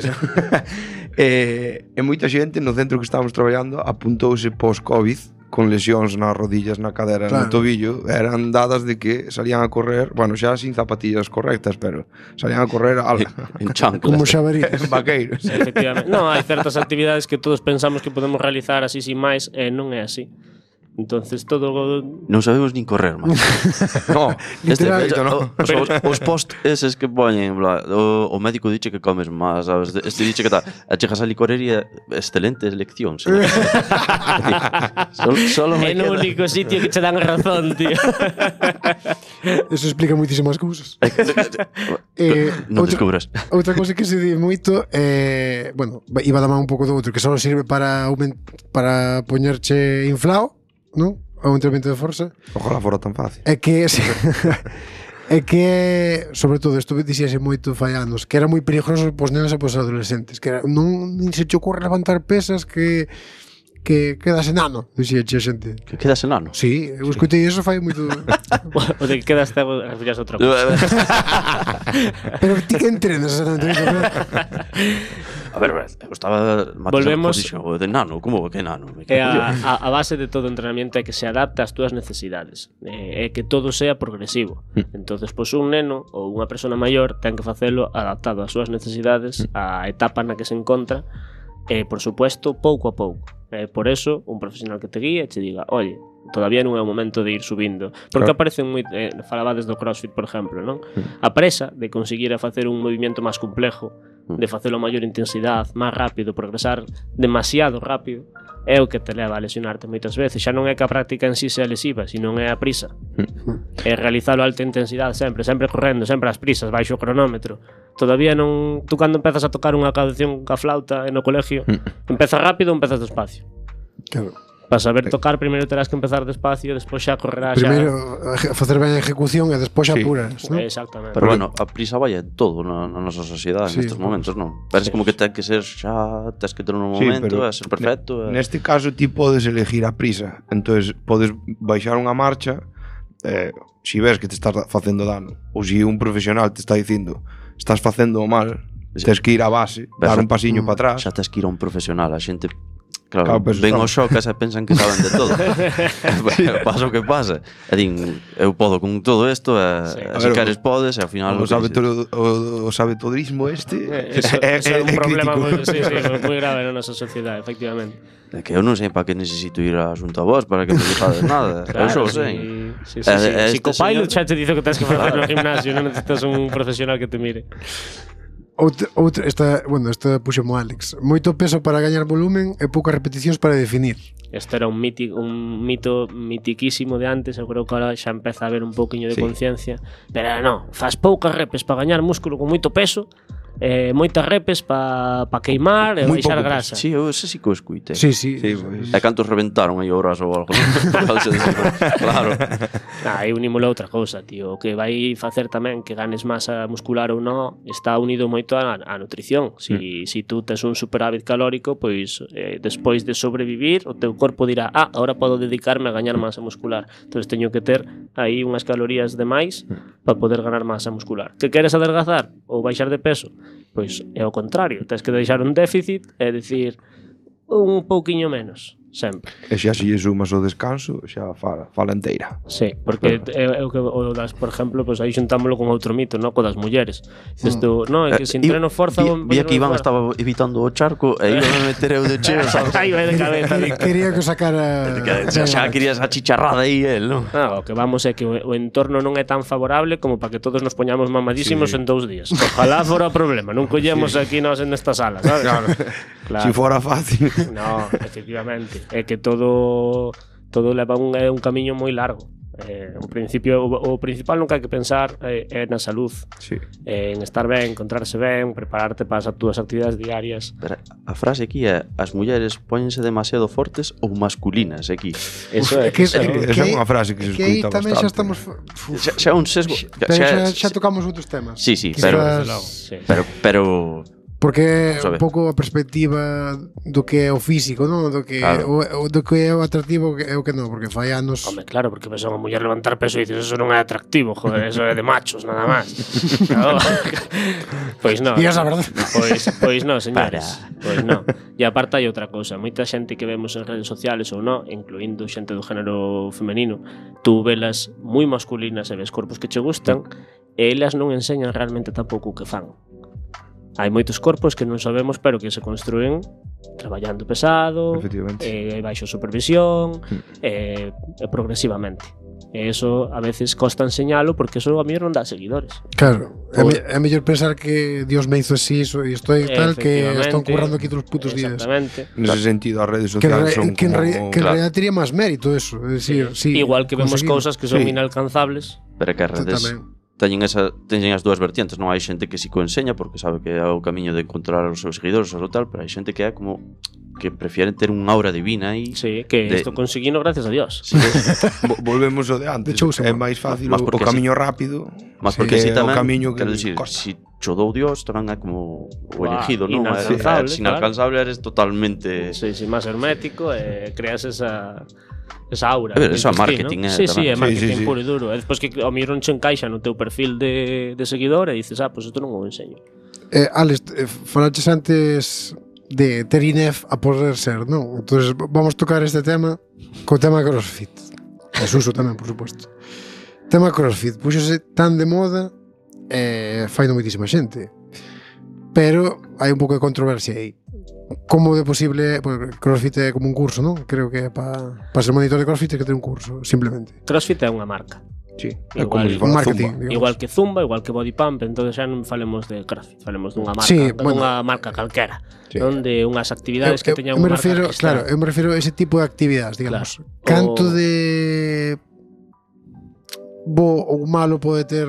E moita xente no centro que estábamos traballando apuntouse pós-Covid con lesións nas rodillas, na cadera, Claro. no tobillo, eran dadas de que salían a correr, bueno, xa sin zapatillas correctas, pero salían a correr En chanclas. Como xabarí. en vaqueiros. Efectivamente. Non, hai certas actividades que todos pensamos que podemos realizar así sin máis e non é así. Entonces todo Non sabemos nin correr, man. No, Literal, feito, no. Os post eses que poñen, bla, o médico diche que comes máis, sabes? Este diche que chegas a licorería, excelente elección. Sí. Solo é me no queda... único sitio que che dan razón, tío. Eso explica moitísimas cousas. Non descubras. Outra cousa que se di moito bueno, iba a dar un pouco do outro, que só sirve para poñerche inflado, non? O entrenamento de forza. Ojalá fora tan fácil. É que é que sobre todo isto dixese moito fai anos, que era moi peligroso pos nenos e pos adolescentes, que era, non nin se te ocorre levantar pesas que quedas enano, dixía a xente. Que quedas enano. Sí, eu escutei eso fai moito. O de que quedas cego, refieres a outra cousa. Pero ti que entrenas exactamente? A ver, eu estaba Volvemos- o de nano, como que nano? Me É cago en Dios. a base de todo entrenamiento é que se adapte ás túas necesidades, é que todo sea progresivo. Entonces, pois un neno ou unha persona maior ten que facelo adaptado ás súas necesidades, á etapa na que se encontra, e, por supuesto, pouco a pouco. Por eso, un profesional que te guíe che diga, oye, todavía non é o momento de ir subindo. Porque Claro. aparecen moi... falabades do CrossFit, por exemplo, non? A presa de conseguir a facer un movimento máis complejo, de facelo a maior intensidade, máis rápido, progresar demasiado rápido, é o que te leva a lesionarte moitas veces. Xa non é que a práctica en sí sea lesiva, sino é a prisa. É realizalo a alta intensidade sempre correndo, sempre ás prisas, baixo o cronómetro. Todavía non... Tú cando empezas a tocar unha canción ca flauta no colegio, empezas rápido ou empezas despacio? Claro. Para saber tocar, primeiro terás que empezar despacio, despois xa correrás xa... Primeiro facer ben a ejecución e despois xa Sí. apuras, non? Exactamente. Pero bueno, a prisa vai en todo na nosa sociedade Sí, nestes momentos, non? Parece como que ten que ser xa, tens que ter un Sí, momento, pero a ser perfecto. Neste caso ti podes elegir a prisa. Entonces podes baixar unha marcha si ves que te estás facendo dano ou si un profesional te está dicindo estás facendo mal, Sí. tens que ir á base, dar un pasiño para atrás. Xa tes que ir a un profesional, a xente Claro, claro, pero ven está- os xocas e pensan que saben de todo. Pasa o que pasa. E din, eu podo con todo isto, Sí. e A se ver, queres podes, e ao final O, o que dices. o sabetorismo este Eso é un problema crítico. moi grave na nosa sociedade, efectivamente. É que eu non sei para que necesito ir a xunta a vos para que me dixades nada. Eu só sei. Si co pilot señor- xa te dice que tens que facer no gimnasio, non necesitas un profesional que te mire. Outra esta puxemo Alex. Moito peso para gañar volumen e poucas repeticións para definir. Este era un mito mitiquísimo de antes, eu creo que ahora xa empeza a haber un pouquiño de Sí. conciencia, pero non, faz poucas repes para gañar músculo con moito peso, moitas repes para queimar e Moi baixar pouco grasa. Sí, eu ese sí que o escuite. Sí, sí. Sí, pois. E cantos reventaron aí o brazo ou algo? Claro. Aí unímolo a outra cousa, tío. O que vai facer tamén que ganes masa muscular ou non está unido moito á nutrición. Si tú tes un superávit calórico, pois despois de sobrevivir, o teu corpo dirá, ahora podo dedicarme a gañar masa muscular. Entón teño que ter aí unhas calorías de máis para poder ganar masa muscular. Que queres adelgazar ou baixar de peso? Pois é o contrario, tens que deixar un déficit e decir un pouquiño menos. sempre. E xa se lle sumas o descanso, xa fala inteira. Sí, porque é o que o das, por exemplo, pues aí xuntámoslo con outro mito, no, co das mulleres. Dices tú, no, é que se entreno forza... Vi que Iván estaba evitando o charco e iba a meter eu de cheo, sabes? Aí vai de cabeza. Quería que sacara... Xa querías a chicharrada aí, el, non? O que vamos é que o entorno non é tan favorable como para que todos nos poñamos mamadísimos en 2 días. Ojalá fora o problema, non collemos aquí nós en esta sala, sabes? Claro. Si fora fácil. No, efectivamente. É que todo leva un camiño moi largo. O principal nunca hai que pensar é na salud, Sí. en estar ben, encontrarse ben, prepararte para as túas actividades diarias. Pero a frase aquí é: as mulleres póñense demasiado fortes ou masculinas aquí. Eso é. Que Esa é unha frase que se que aí escuta tamén xa bastante. estamos... Xa un sesgo. Xa tocamos outros temas. Sí, Quizás- Sí. pero Porque Vamos a un ver. pouco a perspectiva do que é o físico, non? Do que Claro. do que é o atractivo e o que non, porque fai anos... Home, claro, porque ves a unha muller levantar peso e dices, eso non é atractivo, joder, eso é de machos, nada máis. No. Pois non. Días a verdade. Pois non, señores. Pois non. E aparte hai outra cousa, moita xente que vemos en redes sociales ou non, incluindo xente do género femenino, tú velas moi masculinas e ves corpos que che gustan, e elas non enseñan realmente tampouco o que fan. Hai moitos corpos que non sabemos, pero que se construen traballando pesado, Efectivamente. baixo supervisión, progresivamente. E eso a veces costa enseñalo porque eso a mí non dá seguidores. Claro, é mellor pensar que Dios me hizo así e estoy tal que están currando aquí todos os putos días. Exactamente. Nese sentido, as redes Que, sociales son que, como... que en realidad tería máis mérito eso. É dicir, sí, Igual que vemos conseguido. cousas que son Sí. inalcanzables. que as redes Tamén. teñen as dúas vertientes, non? Hai xente que si co enseña porque sabe que é o camiño de encontrar os seus seguidores ou tal, pero hai xente que é como que prefieren ter un aura divina e Sí, que De- isto conseguino gracias a Dios. sí, Volvemos ao de antes. De Chosen É One. máis fácil Mas o porque camiño rápido. mas Sí, porque que si é o tamén, camiño que quero dicir, costa. si cho dou Dios tamén é como o Buah, elegido, non? inalcanzable, Se inalcanzable eres totalmente... Sí, sí, máis hermético e creas esa aura. A ver, eso é dices ti, marketing, ¿no? eh, Sí, sí, tamén. é marketing Sí, sí, sí. puro e duro. E despois que ao mellor non che encaixa no teu perfil de seguidor e dices, pues isto non o enseño. Alex, falaches antes de ter INEF a poder ser, non? Entonces vamos tocar este tema co tema CrossFit. E Suso tamén, por suposto. Tema CrossFit, puxose tan de moda fai moitísima xente. Pero hai un pouco de controversia aí. Como de posible, porque CrossFit é como un curso, non? Creo que para ser monitor de CrossFit hai que ter un curso, simplemente. CrossFit é unha marca. Sí, Igual- é como se Un fala marketing, Zumba. digamos. Igual que Zumba, igual que Body Pump, entonces xa non falemos de CrossFit, falemos dunha marca, Sí, bueno. dunha marca calquera, Sí. non de unhas actividades que teñan eu me unha marca refiro, registrada. claro, eu me refiro a ese tipo de actividades, digamos. Claro. Canto O- de bo ou malo pode ter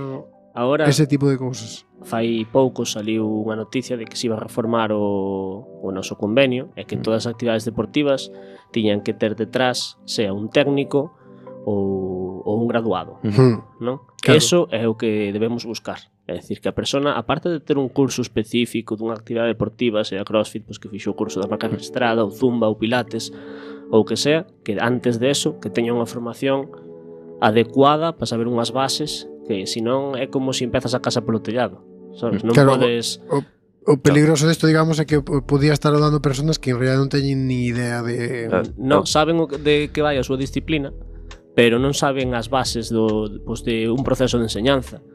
Agora, ese tipo de cousas. fai pouco saliu unha noticia de que se iba a reformar o noso convenio e que todas as actividades deportivas tiñan que ter detrás sea un técnico ou un graduado, non? Claro. Eso é o que debemos buscar. É dicir, que a persona, aparte de ter un curso específico dunha actividade deportiva, sea CrossFit, pois que fixo o curso da marca registrada, ou Zumba, ou Pilates, ou que sea, que antes de eso, que teña unha formación adecuada para saber unhas bases que senón é como se empezas a casa polo tellado, sabes? Non Claro, podes... O peligroso desto, digamos, é que podía estar dando personas que en realidad non teñen ni idea de... Non saben de que vai a súa disciplina, pero non saben as bases de un proceso de enseñanza.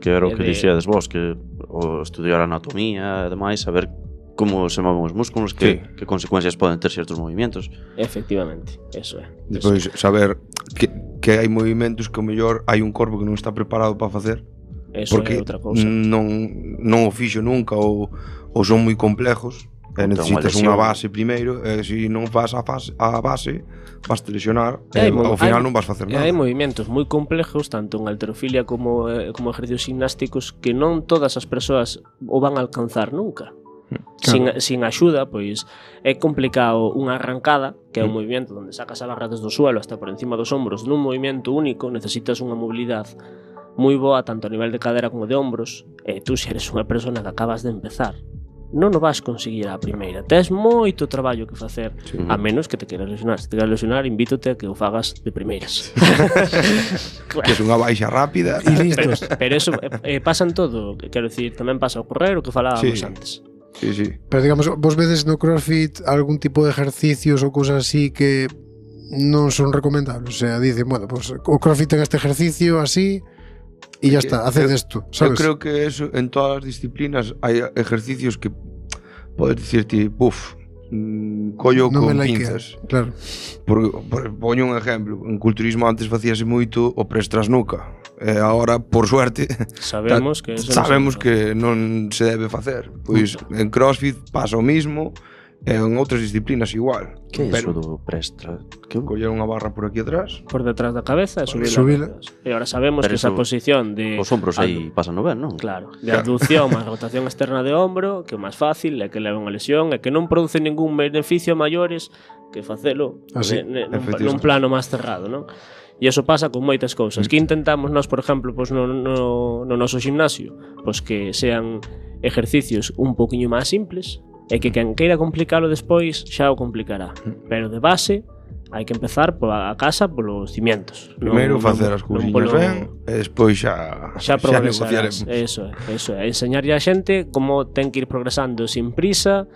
Que era o E que de- dixíades vos, que o estudiar anatomía e demais, saber como se moven os músculos, que consecuencias poden ter certos movimentos. Efectivamente, eso é. Depois, saber que hai movimentos que o mellor hai un corpo que non está preparado para facer Eso porque é outra cousa. non o fixo nunca ou son moi complejos e necesitas unha base primeiro e se non faz a base vas te lesionar e ao final non vas facer nada. Hai movimentos moi complejos tanto en halterofilia como ejercicios gimnásticos que non todas as persoas o van a alcanzar nunca. Sin axuda, pois é complicado unha arrancada, que é un movimento onde sacas a barra desde o suelo hasta por encima dos ombros nun movimento único, necesitas unha mobilidade moi boa tanto a nivel de cadera como de ombros, e tú se eres unha persona que acabas de empezar non o vas conseguir á primeira, tes moito traballo que facer, a menos que te queras lesionar. Se te queras lesionar, invítote a que o fagas de primeiras. Que é unha baixa rápida E listos. Pero eso pasa en todo, quero dicir, tamén pasa ao correr o que falábamos Sí. antes. Sí, sí. Pero digamos, vos vedes no CrossFit algún tipo de ejercicios ou cousas así que non son recomendables? O sea, dicen, bueno, pues o CrossFit ten este ejercicio así e ya está, haced esto, Eu sabes? creo que eso, en todas as disciplinas hai ejercicios que podes dicirti, collo Non me con laiquea, pinzas. claro. Poño un exemplo. En culturismo antes facíase moito o press tras nuca. E agora, por suerte, Sabemos que eso sabemos non se que non se debe facer. Pois en CrossFit pasa o mismo, e en outras disciplinas igual. Que é iso Pero do prestra? Que coller unha barra por aquí atrás. por detrás da cabeza e Subila. E ahora sabemos Pero que esa eso- posición de Os ombros aí pasan ben, non? Claro, de abducción máis rotación externa de hombro, que é máis fácil, é que leva unha lesión, e que non produce ningún beneficio a maiores que facelo Así, efectivamente. nun plano máis cerrado, non? E iso pasa con moitas cousas. Que intentamos nós, por exemplo, pois no noso gimnasio, pois que sean exercicios un poquinho máis simples, e que quen queira complicalo despois xa o complicará. Pero de base hai que empezar a casa polos cimientos. Primeiro facer as cousiñas ben, e despois xa negociaremos. progresarás. Eso é. Enseñarlle a xente como ten que ir progresando sin prisa,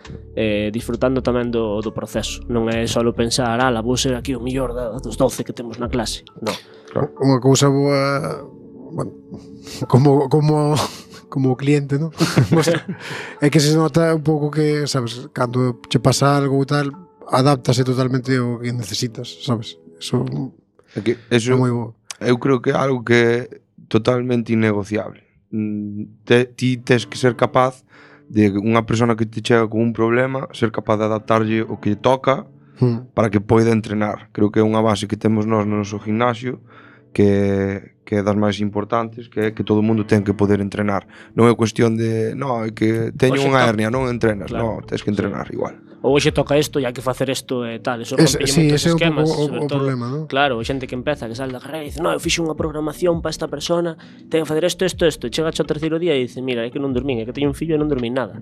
disfrutando tamén do proceso. Non é só pensar, vou ser aquí o mellor dos 12 que temos na clase. Non. Unha cousa boa, bueno, como cliente, ¿no? É que se nota un pouco que, sabes, cando che pasa algo e tal, adáptase totalmente ao que necesitas, sabes? Eso É que é eso, moi bo. eu creo que é algo que é totalmente innegociable. Ti tes que ser capaz de unha persona que te chega con un problema, ser capaz de adaptarlle o que lle toca para que poida entrenar. Creo que é unha base que temos nós no noso gimnasio que é das máis importantes, que é que todo o mundo ten que poder entrenar. Non é cuestión de, é que teño Hoxe unha hernia, non entrenas, Claro. tens que entrenar igual. Ou hoxe toca isto e hai que facer isto e tal. Eso Ese, rompelle sí, moitos ese é un esquemas, pouco sobre o todo. problema, ¿no? Claro, xente que empeza, que sale da carreira e dice, eu fixo unha programación para esta persona, ten que facer isto, e chega ao terceiro día e dice, mira, é que non dormín, é que teño un fillo e non dormín nada.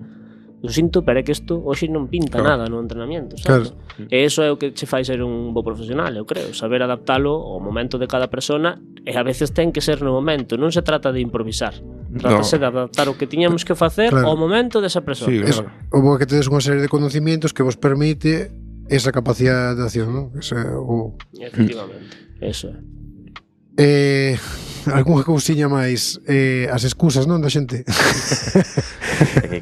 Eu sinto, pero é que isto hoxe non pinta Claro. nada no entrenamiento, sabes? E iso é o que che fai ser un bo profesional, eu creo, saber adaptalo ao momento de cada persona, e a veces ten que ser no momento, non se trata de improvisar. Trátase de adaptar o que tiñamos que facer Claro. ao momento desa persona. Sí, Es, claro. o bo é que tedes unha serie de conocimientos que vos permite esa capacidade de acción, ¿no? Ese, Efectivamente, eso é. algunha cousiña máis, as excusas, non, da xente?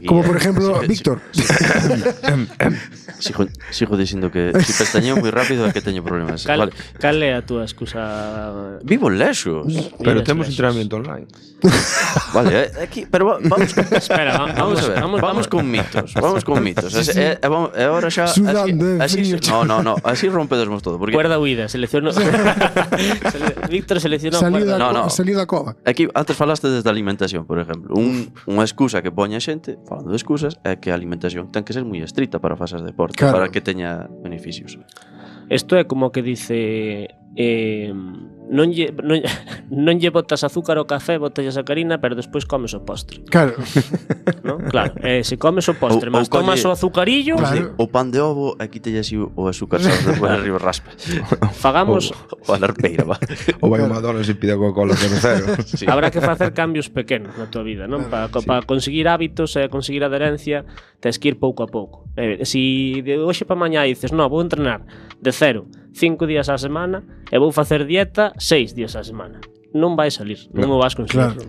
Como por ejemplo, Víctor. Sigo dicindo que si pestañeo moi rápido é que teño problemas. Cal, Vale. cal é a túa excusa? Vivo lexos. Pero Vidas temos lexos. entrenamiento online. Vale, aquí, pero vamos Espera, vamos a ver, vamos con mitos, vamos con mitos. E agora xa Sudando, así, frío. no, así rompedesmos todo, porque Cuerda huida, seleccionou. Víctor seleccionou Saliu cuerda. da, saliu da cova. aquí antes falaste desde a alimentación, por exemplo. Unha excusa que poña a xente, falando de excusas, é que a alimentación ten que ser moi estricta para facer deporte, Claro. para que teña beneficios. Isto é como que dice non lle botas azúcar ao café, botas a sacarina, pero despois comes o postre, Claro, ¿no? Claro, se comes o postre, Ou mas tomas colle- o azucarillo, Claro. O pan de ovo, aquí te así o azúcar sabes, despois arriba raspa. fagamos O a larpeira, va. Ou vai a McDonald's e pide Coca-Cola 00. Sí. Habrá que facer cambios pequenos na tua vida, non? Para conseguir hábitos e conseguir adherencia, tens que ir pouco a pouco. Si de hoxe para mañá dices, no, vou entrenar de 5 días á semana e vou facer dieta 6 días á semana. Non vai salir, non o vas conseguir.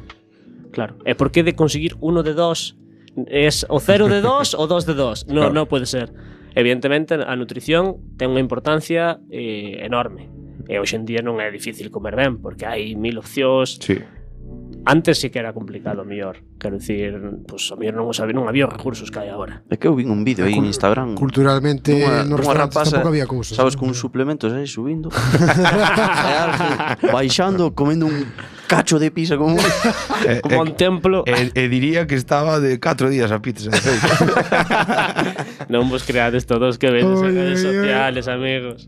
Claro. E por que de conseguir uno de 2 es o 0 de 2 ou 2 de 2? No, non pode ser. Evidentemente, a nutrición ten unha importancia enorme. E hoxe en día non é difícil comer ben, porque hai 1000 opcións. Sí. Antes sí que era complicado, mellor. Quero dicir, pues, a mellor non había os recursos que hai agora. É que eu vin un vídeo aí en Instagram. culturalmente nos restaurantes tampouco había cousas. sabes, con suplementos aí subindo. E algo, baixando, comendo un cacho de pizza como Como un templo. E diría que estaba de 4 días a pizza. Non vos creades todos que vedes en Oi, redes oi, oi. sociales, amigos.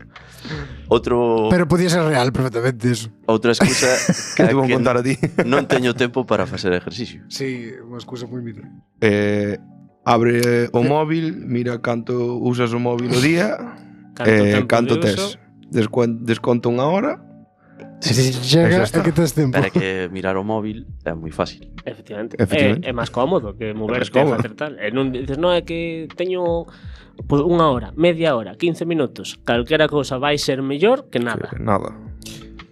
outro Pero podía ser real perfectamente eso. outra excusa Que é te vou contar a ti? non teño tempo para facer exercicio. Sí, unha excusa moi mitra. Abre o móvil, mira canto usas o móvil o día, Canto tempo canto de uso. tes. Desconto unha hora Se chega é que tes tempo. Pero é que mirar o móvil é moi fácil. Efectivamente. Efectivamente. É máis cómodo que moverte e cómodo. facer tal. E non dices, non, é que teño unha hora, media hora, 15 minutos. Calquera cousa vai ser mellor que nada. Nada.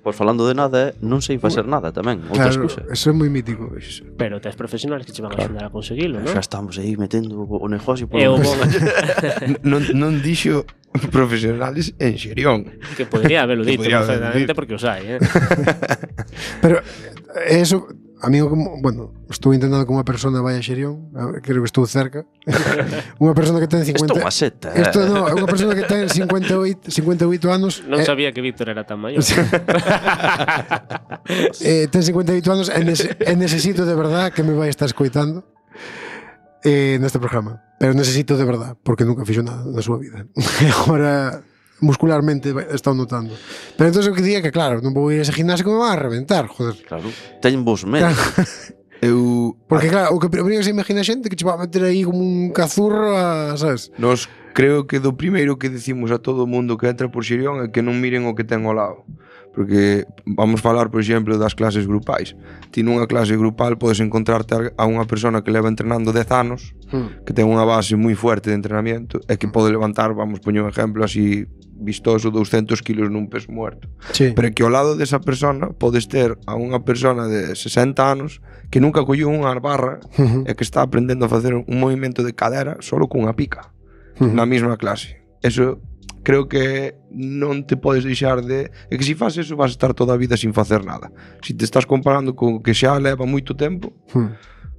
Pois falando de nada, non sei facer nada tamén. Outra Claro, excusa. eso é moi mítico. Pero tes profesionales que che van a axudar a conseguilo, non? Xa estamos aí metendo o negocio por E o onde- bon Non dixo profesionales en Xerión. que podría habelo Que dito podría perfectamente haber porque os hai, Pero eso, amigo, como, bueno, estou intentando que unha persona vaya a Xerión, creo que estou cerca. Unha persona que ten 50. Isto é unha seta. Isto non, é unha persona que ten 58 anos. Non sabía que Víctor era tan maior. Ten 58 anos e necesito de verdad que me vai estar escoitando neste programa. Pero necesito de verdad, porque nunca fixo nada na súa vida. E agora muscularmente está notando. Pero entonces o que día que claro, non vou ir a ese gimnasio que me van a reventar, joder. Claro, ten vos medo. Eu Porque claro, o que primeiro se imagina a xente que che va a meter aí como un cazurro a, sabes? Nos creo que do primeiro que decimos a todo o mundo que entra por Xerión é que non miren o que ten ao lado. Porque vamos falar, por exemplo, das clases grupais. Ti nunha clase grupal podes encontrarte a unha persona que leva entrenando 10 anos, que ten unha base moi fuerte de entrenamiento e que pode levantar, vamos poñer un exemplo así vistoso, 200 kilos nun peso muerto. Sí. Pero que ao lado desa persona podes ter a unha persona de 60 anos que nunca colleu unha barra e que está aprendendo a facer un movimento de cadera solo cunha pica na mesma clase. Eso creo que non te podes deixar de... É que se faz eso vas a estar toda a vida sin facer nada. Se te estás comparando con que xa leva moito tempo,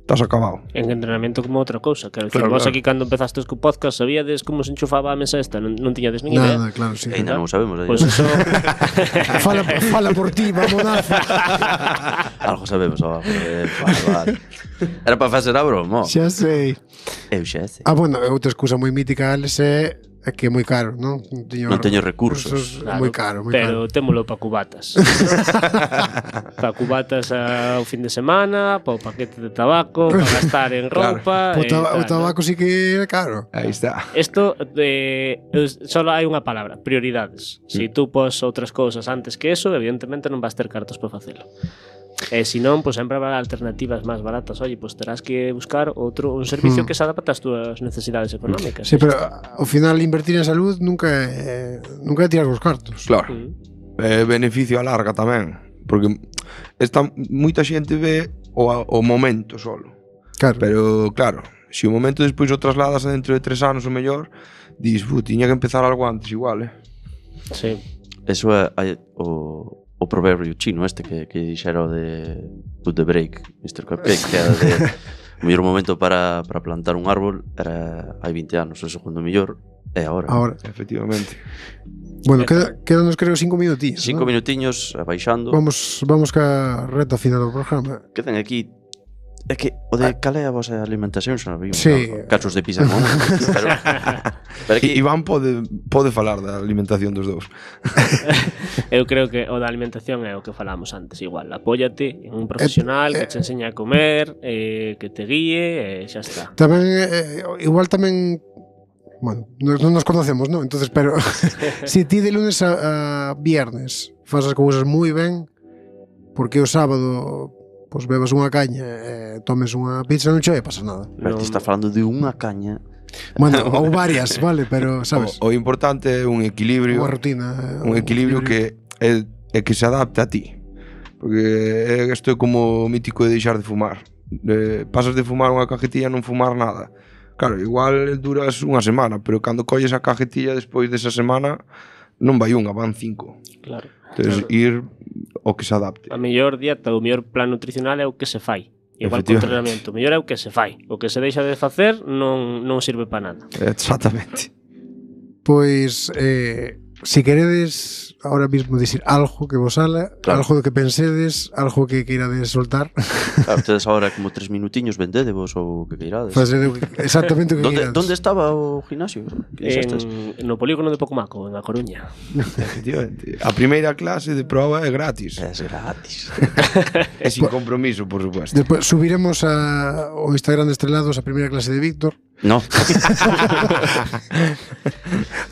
estás acabado. En entrenamento como outra cousa. Quero dicir, Claro, vos claro. aquí cando empezastes co podcast sabíades como se enchufaba a mesa esta, non tiñades nin idea. Nada, claro, sí. Ainda non sabemos. Pois eso, Fala por ti, vamonazo. Algo sabemos, vale. Era para facer a broma. Xa sei. Eu xa sei. Bueno, outra excusa moi mítica, Alex, é que é moi caro, non? Non teño recursos. É moi caro, moi pero caro. témolo pa cubatas. Pa cubatas ao fin de semana, pa o paquete de tabaco, pa gastar en roupa. O tabaco sí que é caro. Aí está. Isto solo hai unha palabra, prioridades. Se tú pos outras cousas antes que eso, evidentemente non vas ter cartos para facelo. E se non, pois sempre habrá alternativas máis baratas. Oye, pois terás que buscar un servicio que se adapte ás túas necesidades económicas. Sí, pero ao final invertir en salud nunca é tirar os cartos. Claro. Beneficio a larga tamén. Porque moita xente ve o momento solo. Claro. Pero claro, se o momento despois o trasladas a dentro de 3 anos ou mellor, dis, tiña que empezar algo antes igual, Sí. Eso é o proverbio chino este que dixera o de put the break, Mr. Cupcake, que era de o mellor momento para plantar un árbol era hai 20 anos, o segundo mellor é agora. Ahora. Efectivamente. Bueno, quedanos creo 5 minutillos. 5 minutiños baixando. Vamos ca reta final do programa. Quedan aquí. É que o de cal é a vosa alimentación xa non vimos. Sí. Cachos de pizza non. Pero aquí Iván pode falar da alimentación dos dous. Eu creo que o da alimentación é o que falamos antes. Igual, apóyate en un profesional que te enseña a comer, que te guíe, e xa está. Tamén igual tamén bueno, non nos conocemos, non? Entonces, pero se ti de lunes a viernes fas as cousas moi ben, porque o sábado pois bebas unha caña e tomes unha pizza, non che vai pasar nada. Pero ti está falando de unha caña. Bueno, ou varias, vale, pero sabes, O importante é un equilibrio, unha rutina, un equilibrio que é que se adapte a ti. Porque isto é como o mítico de deixar de fumar. Pasas de fumar unha cajetilla a non fumar nada. Claro, igual duras unha semana, pero cando colles a cajetilla despois desa semana non vai unha, van 5. Claro. Entonces, ir o que se adapte. A mellor dieta, o mellor plan nutricional é o que se fai. Igual que o entrenamento, o mellor é o que se fai. O que se deixa de facer non sirve para nada. Exactamente. Pois, si queredes ahora mismo dicir algo que vos sala, Claro. algo que pensedes, algo que queirades soltar, Claro, tedes agora como 3 minutiños, vendedevos ou o que queirades. facer exactamente o que queirades. Donde estaba o gimnasio? Que dixestes? No polígono de Pocomaco, en A Coruña. Efectivamente. A primeira clase de proba é gratis. Es gratis. É sin compromiso, por supuesto. Despois subiremos ao Instagram de Estrelados a primeira clase de Víctor, No.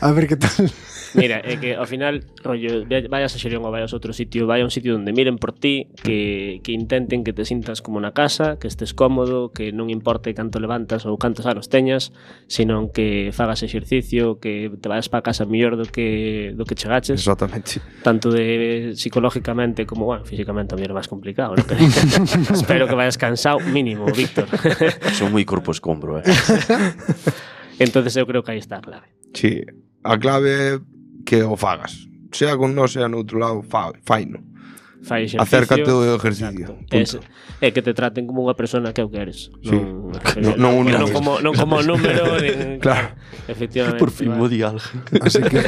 a ver que tal. Mira, é que ao final, rollo, vayas a Xerión ou vayas a outro sitio, vai a un sitio onde miren por ti, que intenten que te sintas como na casa, que estés cómodo, que non importe canto levantas ou cantos anos teñas, senón que fagas exercicio, que te vayas para casa mellor do que chegaches. Exactamente. Tanto de psicológicamente como, bueno, físicamente tamén é máis complicado, ¿no? Espero que vayas cansado, mínimo, Víctor. Son moi corpo escombro, Entonces eu creo que aí está a clave. Sí, a clave é que o fagas. Sea con nós, sea no outro lado, faino. Fai exercicio. Acércate ao exercicio. É que te traten como unha persona que eu queres. Sí. Non como número. Claro. Efectivamente. Por fin mo di algo. Así que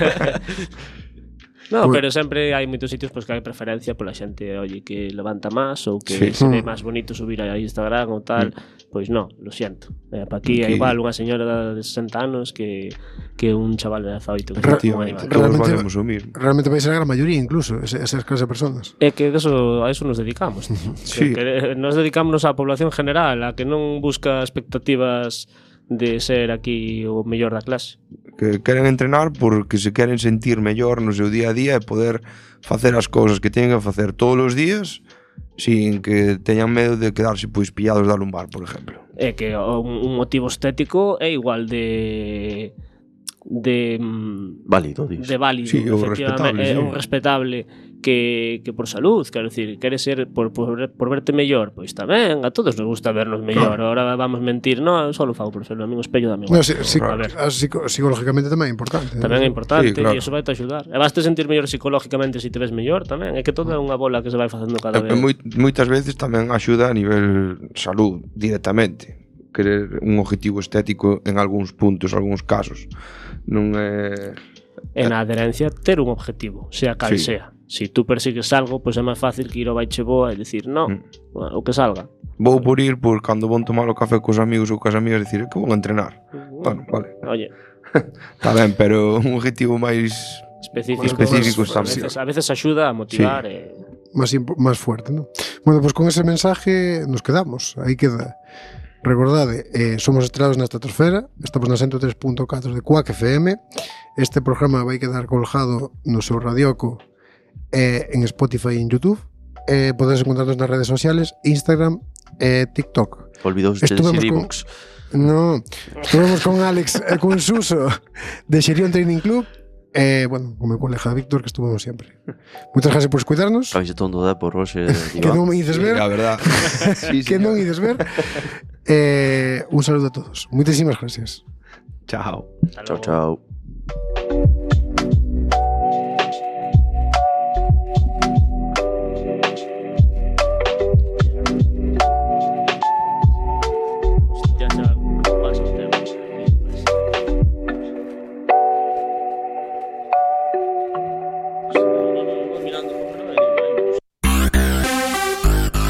No, pero sempre hai moitos sitios que hai preferencia pola xente, oye, que levanta máis ou que Sí. se ve máis bonito subir a Instagram ou tal. Pois no, lo siento. Pa aquí é igual unha señora de 60 anos que un chaval de 18 que está como animal. Todos valemos o mismo. realmente vai ser a gran maioría incluso, esas clases de personas. É que a eso nos dedicamos. Sí. Que nos dedicamos á población general, a que non busca expectativas de ser aquí o mellor da clase. Que queren entrenar porque se queren sentir mellor no seu día a día e poder facer as cousas que teñen que facer todos os días sin que teñan medo de quedarse pois pillados da lumbar, por exemplo. É que un motivo estético é igual de Válido, dis. de válido, Sí, o efectivamente, respetable, sí. é un respetable que por salud, quero decir, queres ser por verte mellor, pois tamén, a todos nos gusta vernos mellor. Ahora vamos mentir, no, só lo fago por ser o amigo espello da amigo. No, A ver, psicológicamente tamén é importante. tamén é importante, Sí, claro. e iso vai te axudar. E vas te sentir mellor psicológicamente se te ves mellor tamén, é que todo é unha bola que se vai facendo cada vez. Moitas veces tamén axuda a nivel salud directamente. Querer un objetivo estético en algúns puntos, algúns casos. Non é... En a adherencia, ter un objetivo, sea cal Sí. sea. Si tú persigues algo, pois é máis fácil que ir ao baiche boa e dicir, no, o que salga. Vou por ir por cando vou tomar o café cos amigos ou cos amigas dicir que vou a entrenar. Bueno, vale. Oye, Está ben, pero un objetivo máis específico está a veces axuda a motivar Más fuerte, ¿no? Bueno, pues con ese mensaje nos quedamos. Aí queda. Recordade, somos Estrelados na Estratosfera, estamos na 103.4 de Quack FM. Este programa vai quedar colgado no seu radioco en Spotify e en YouTube. Podedes encontrarnos nas redes sociales, Instagram e TikTok. Olvidouse de Estuvemos decir con- iVoox. No, estuvemos con Alex e con Suso de Xerión Training Club. Bueno, con meu colega Víctor, que estuvemos sempre. Muchas gracias por escuitarnos. Cabelle tondo da por hoxe. Que non me ides ver. a verdad. Sí, Que non señor. ides ver. Un saludo a todos. Muchísimas gracias. Chao. Chao, chao.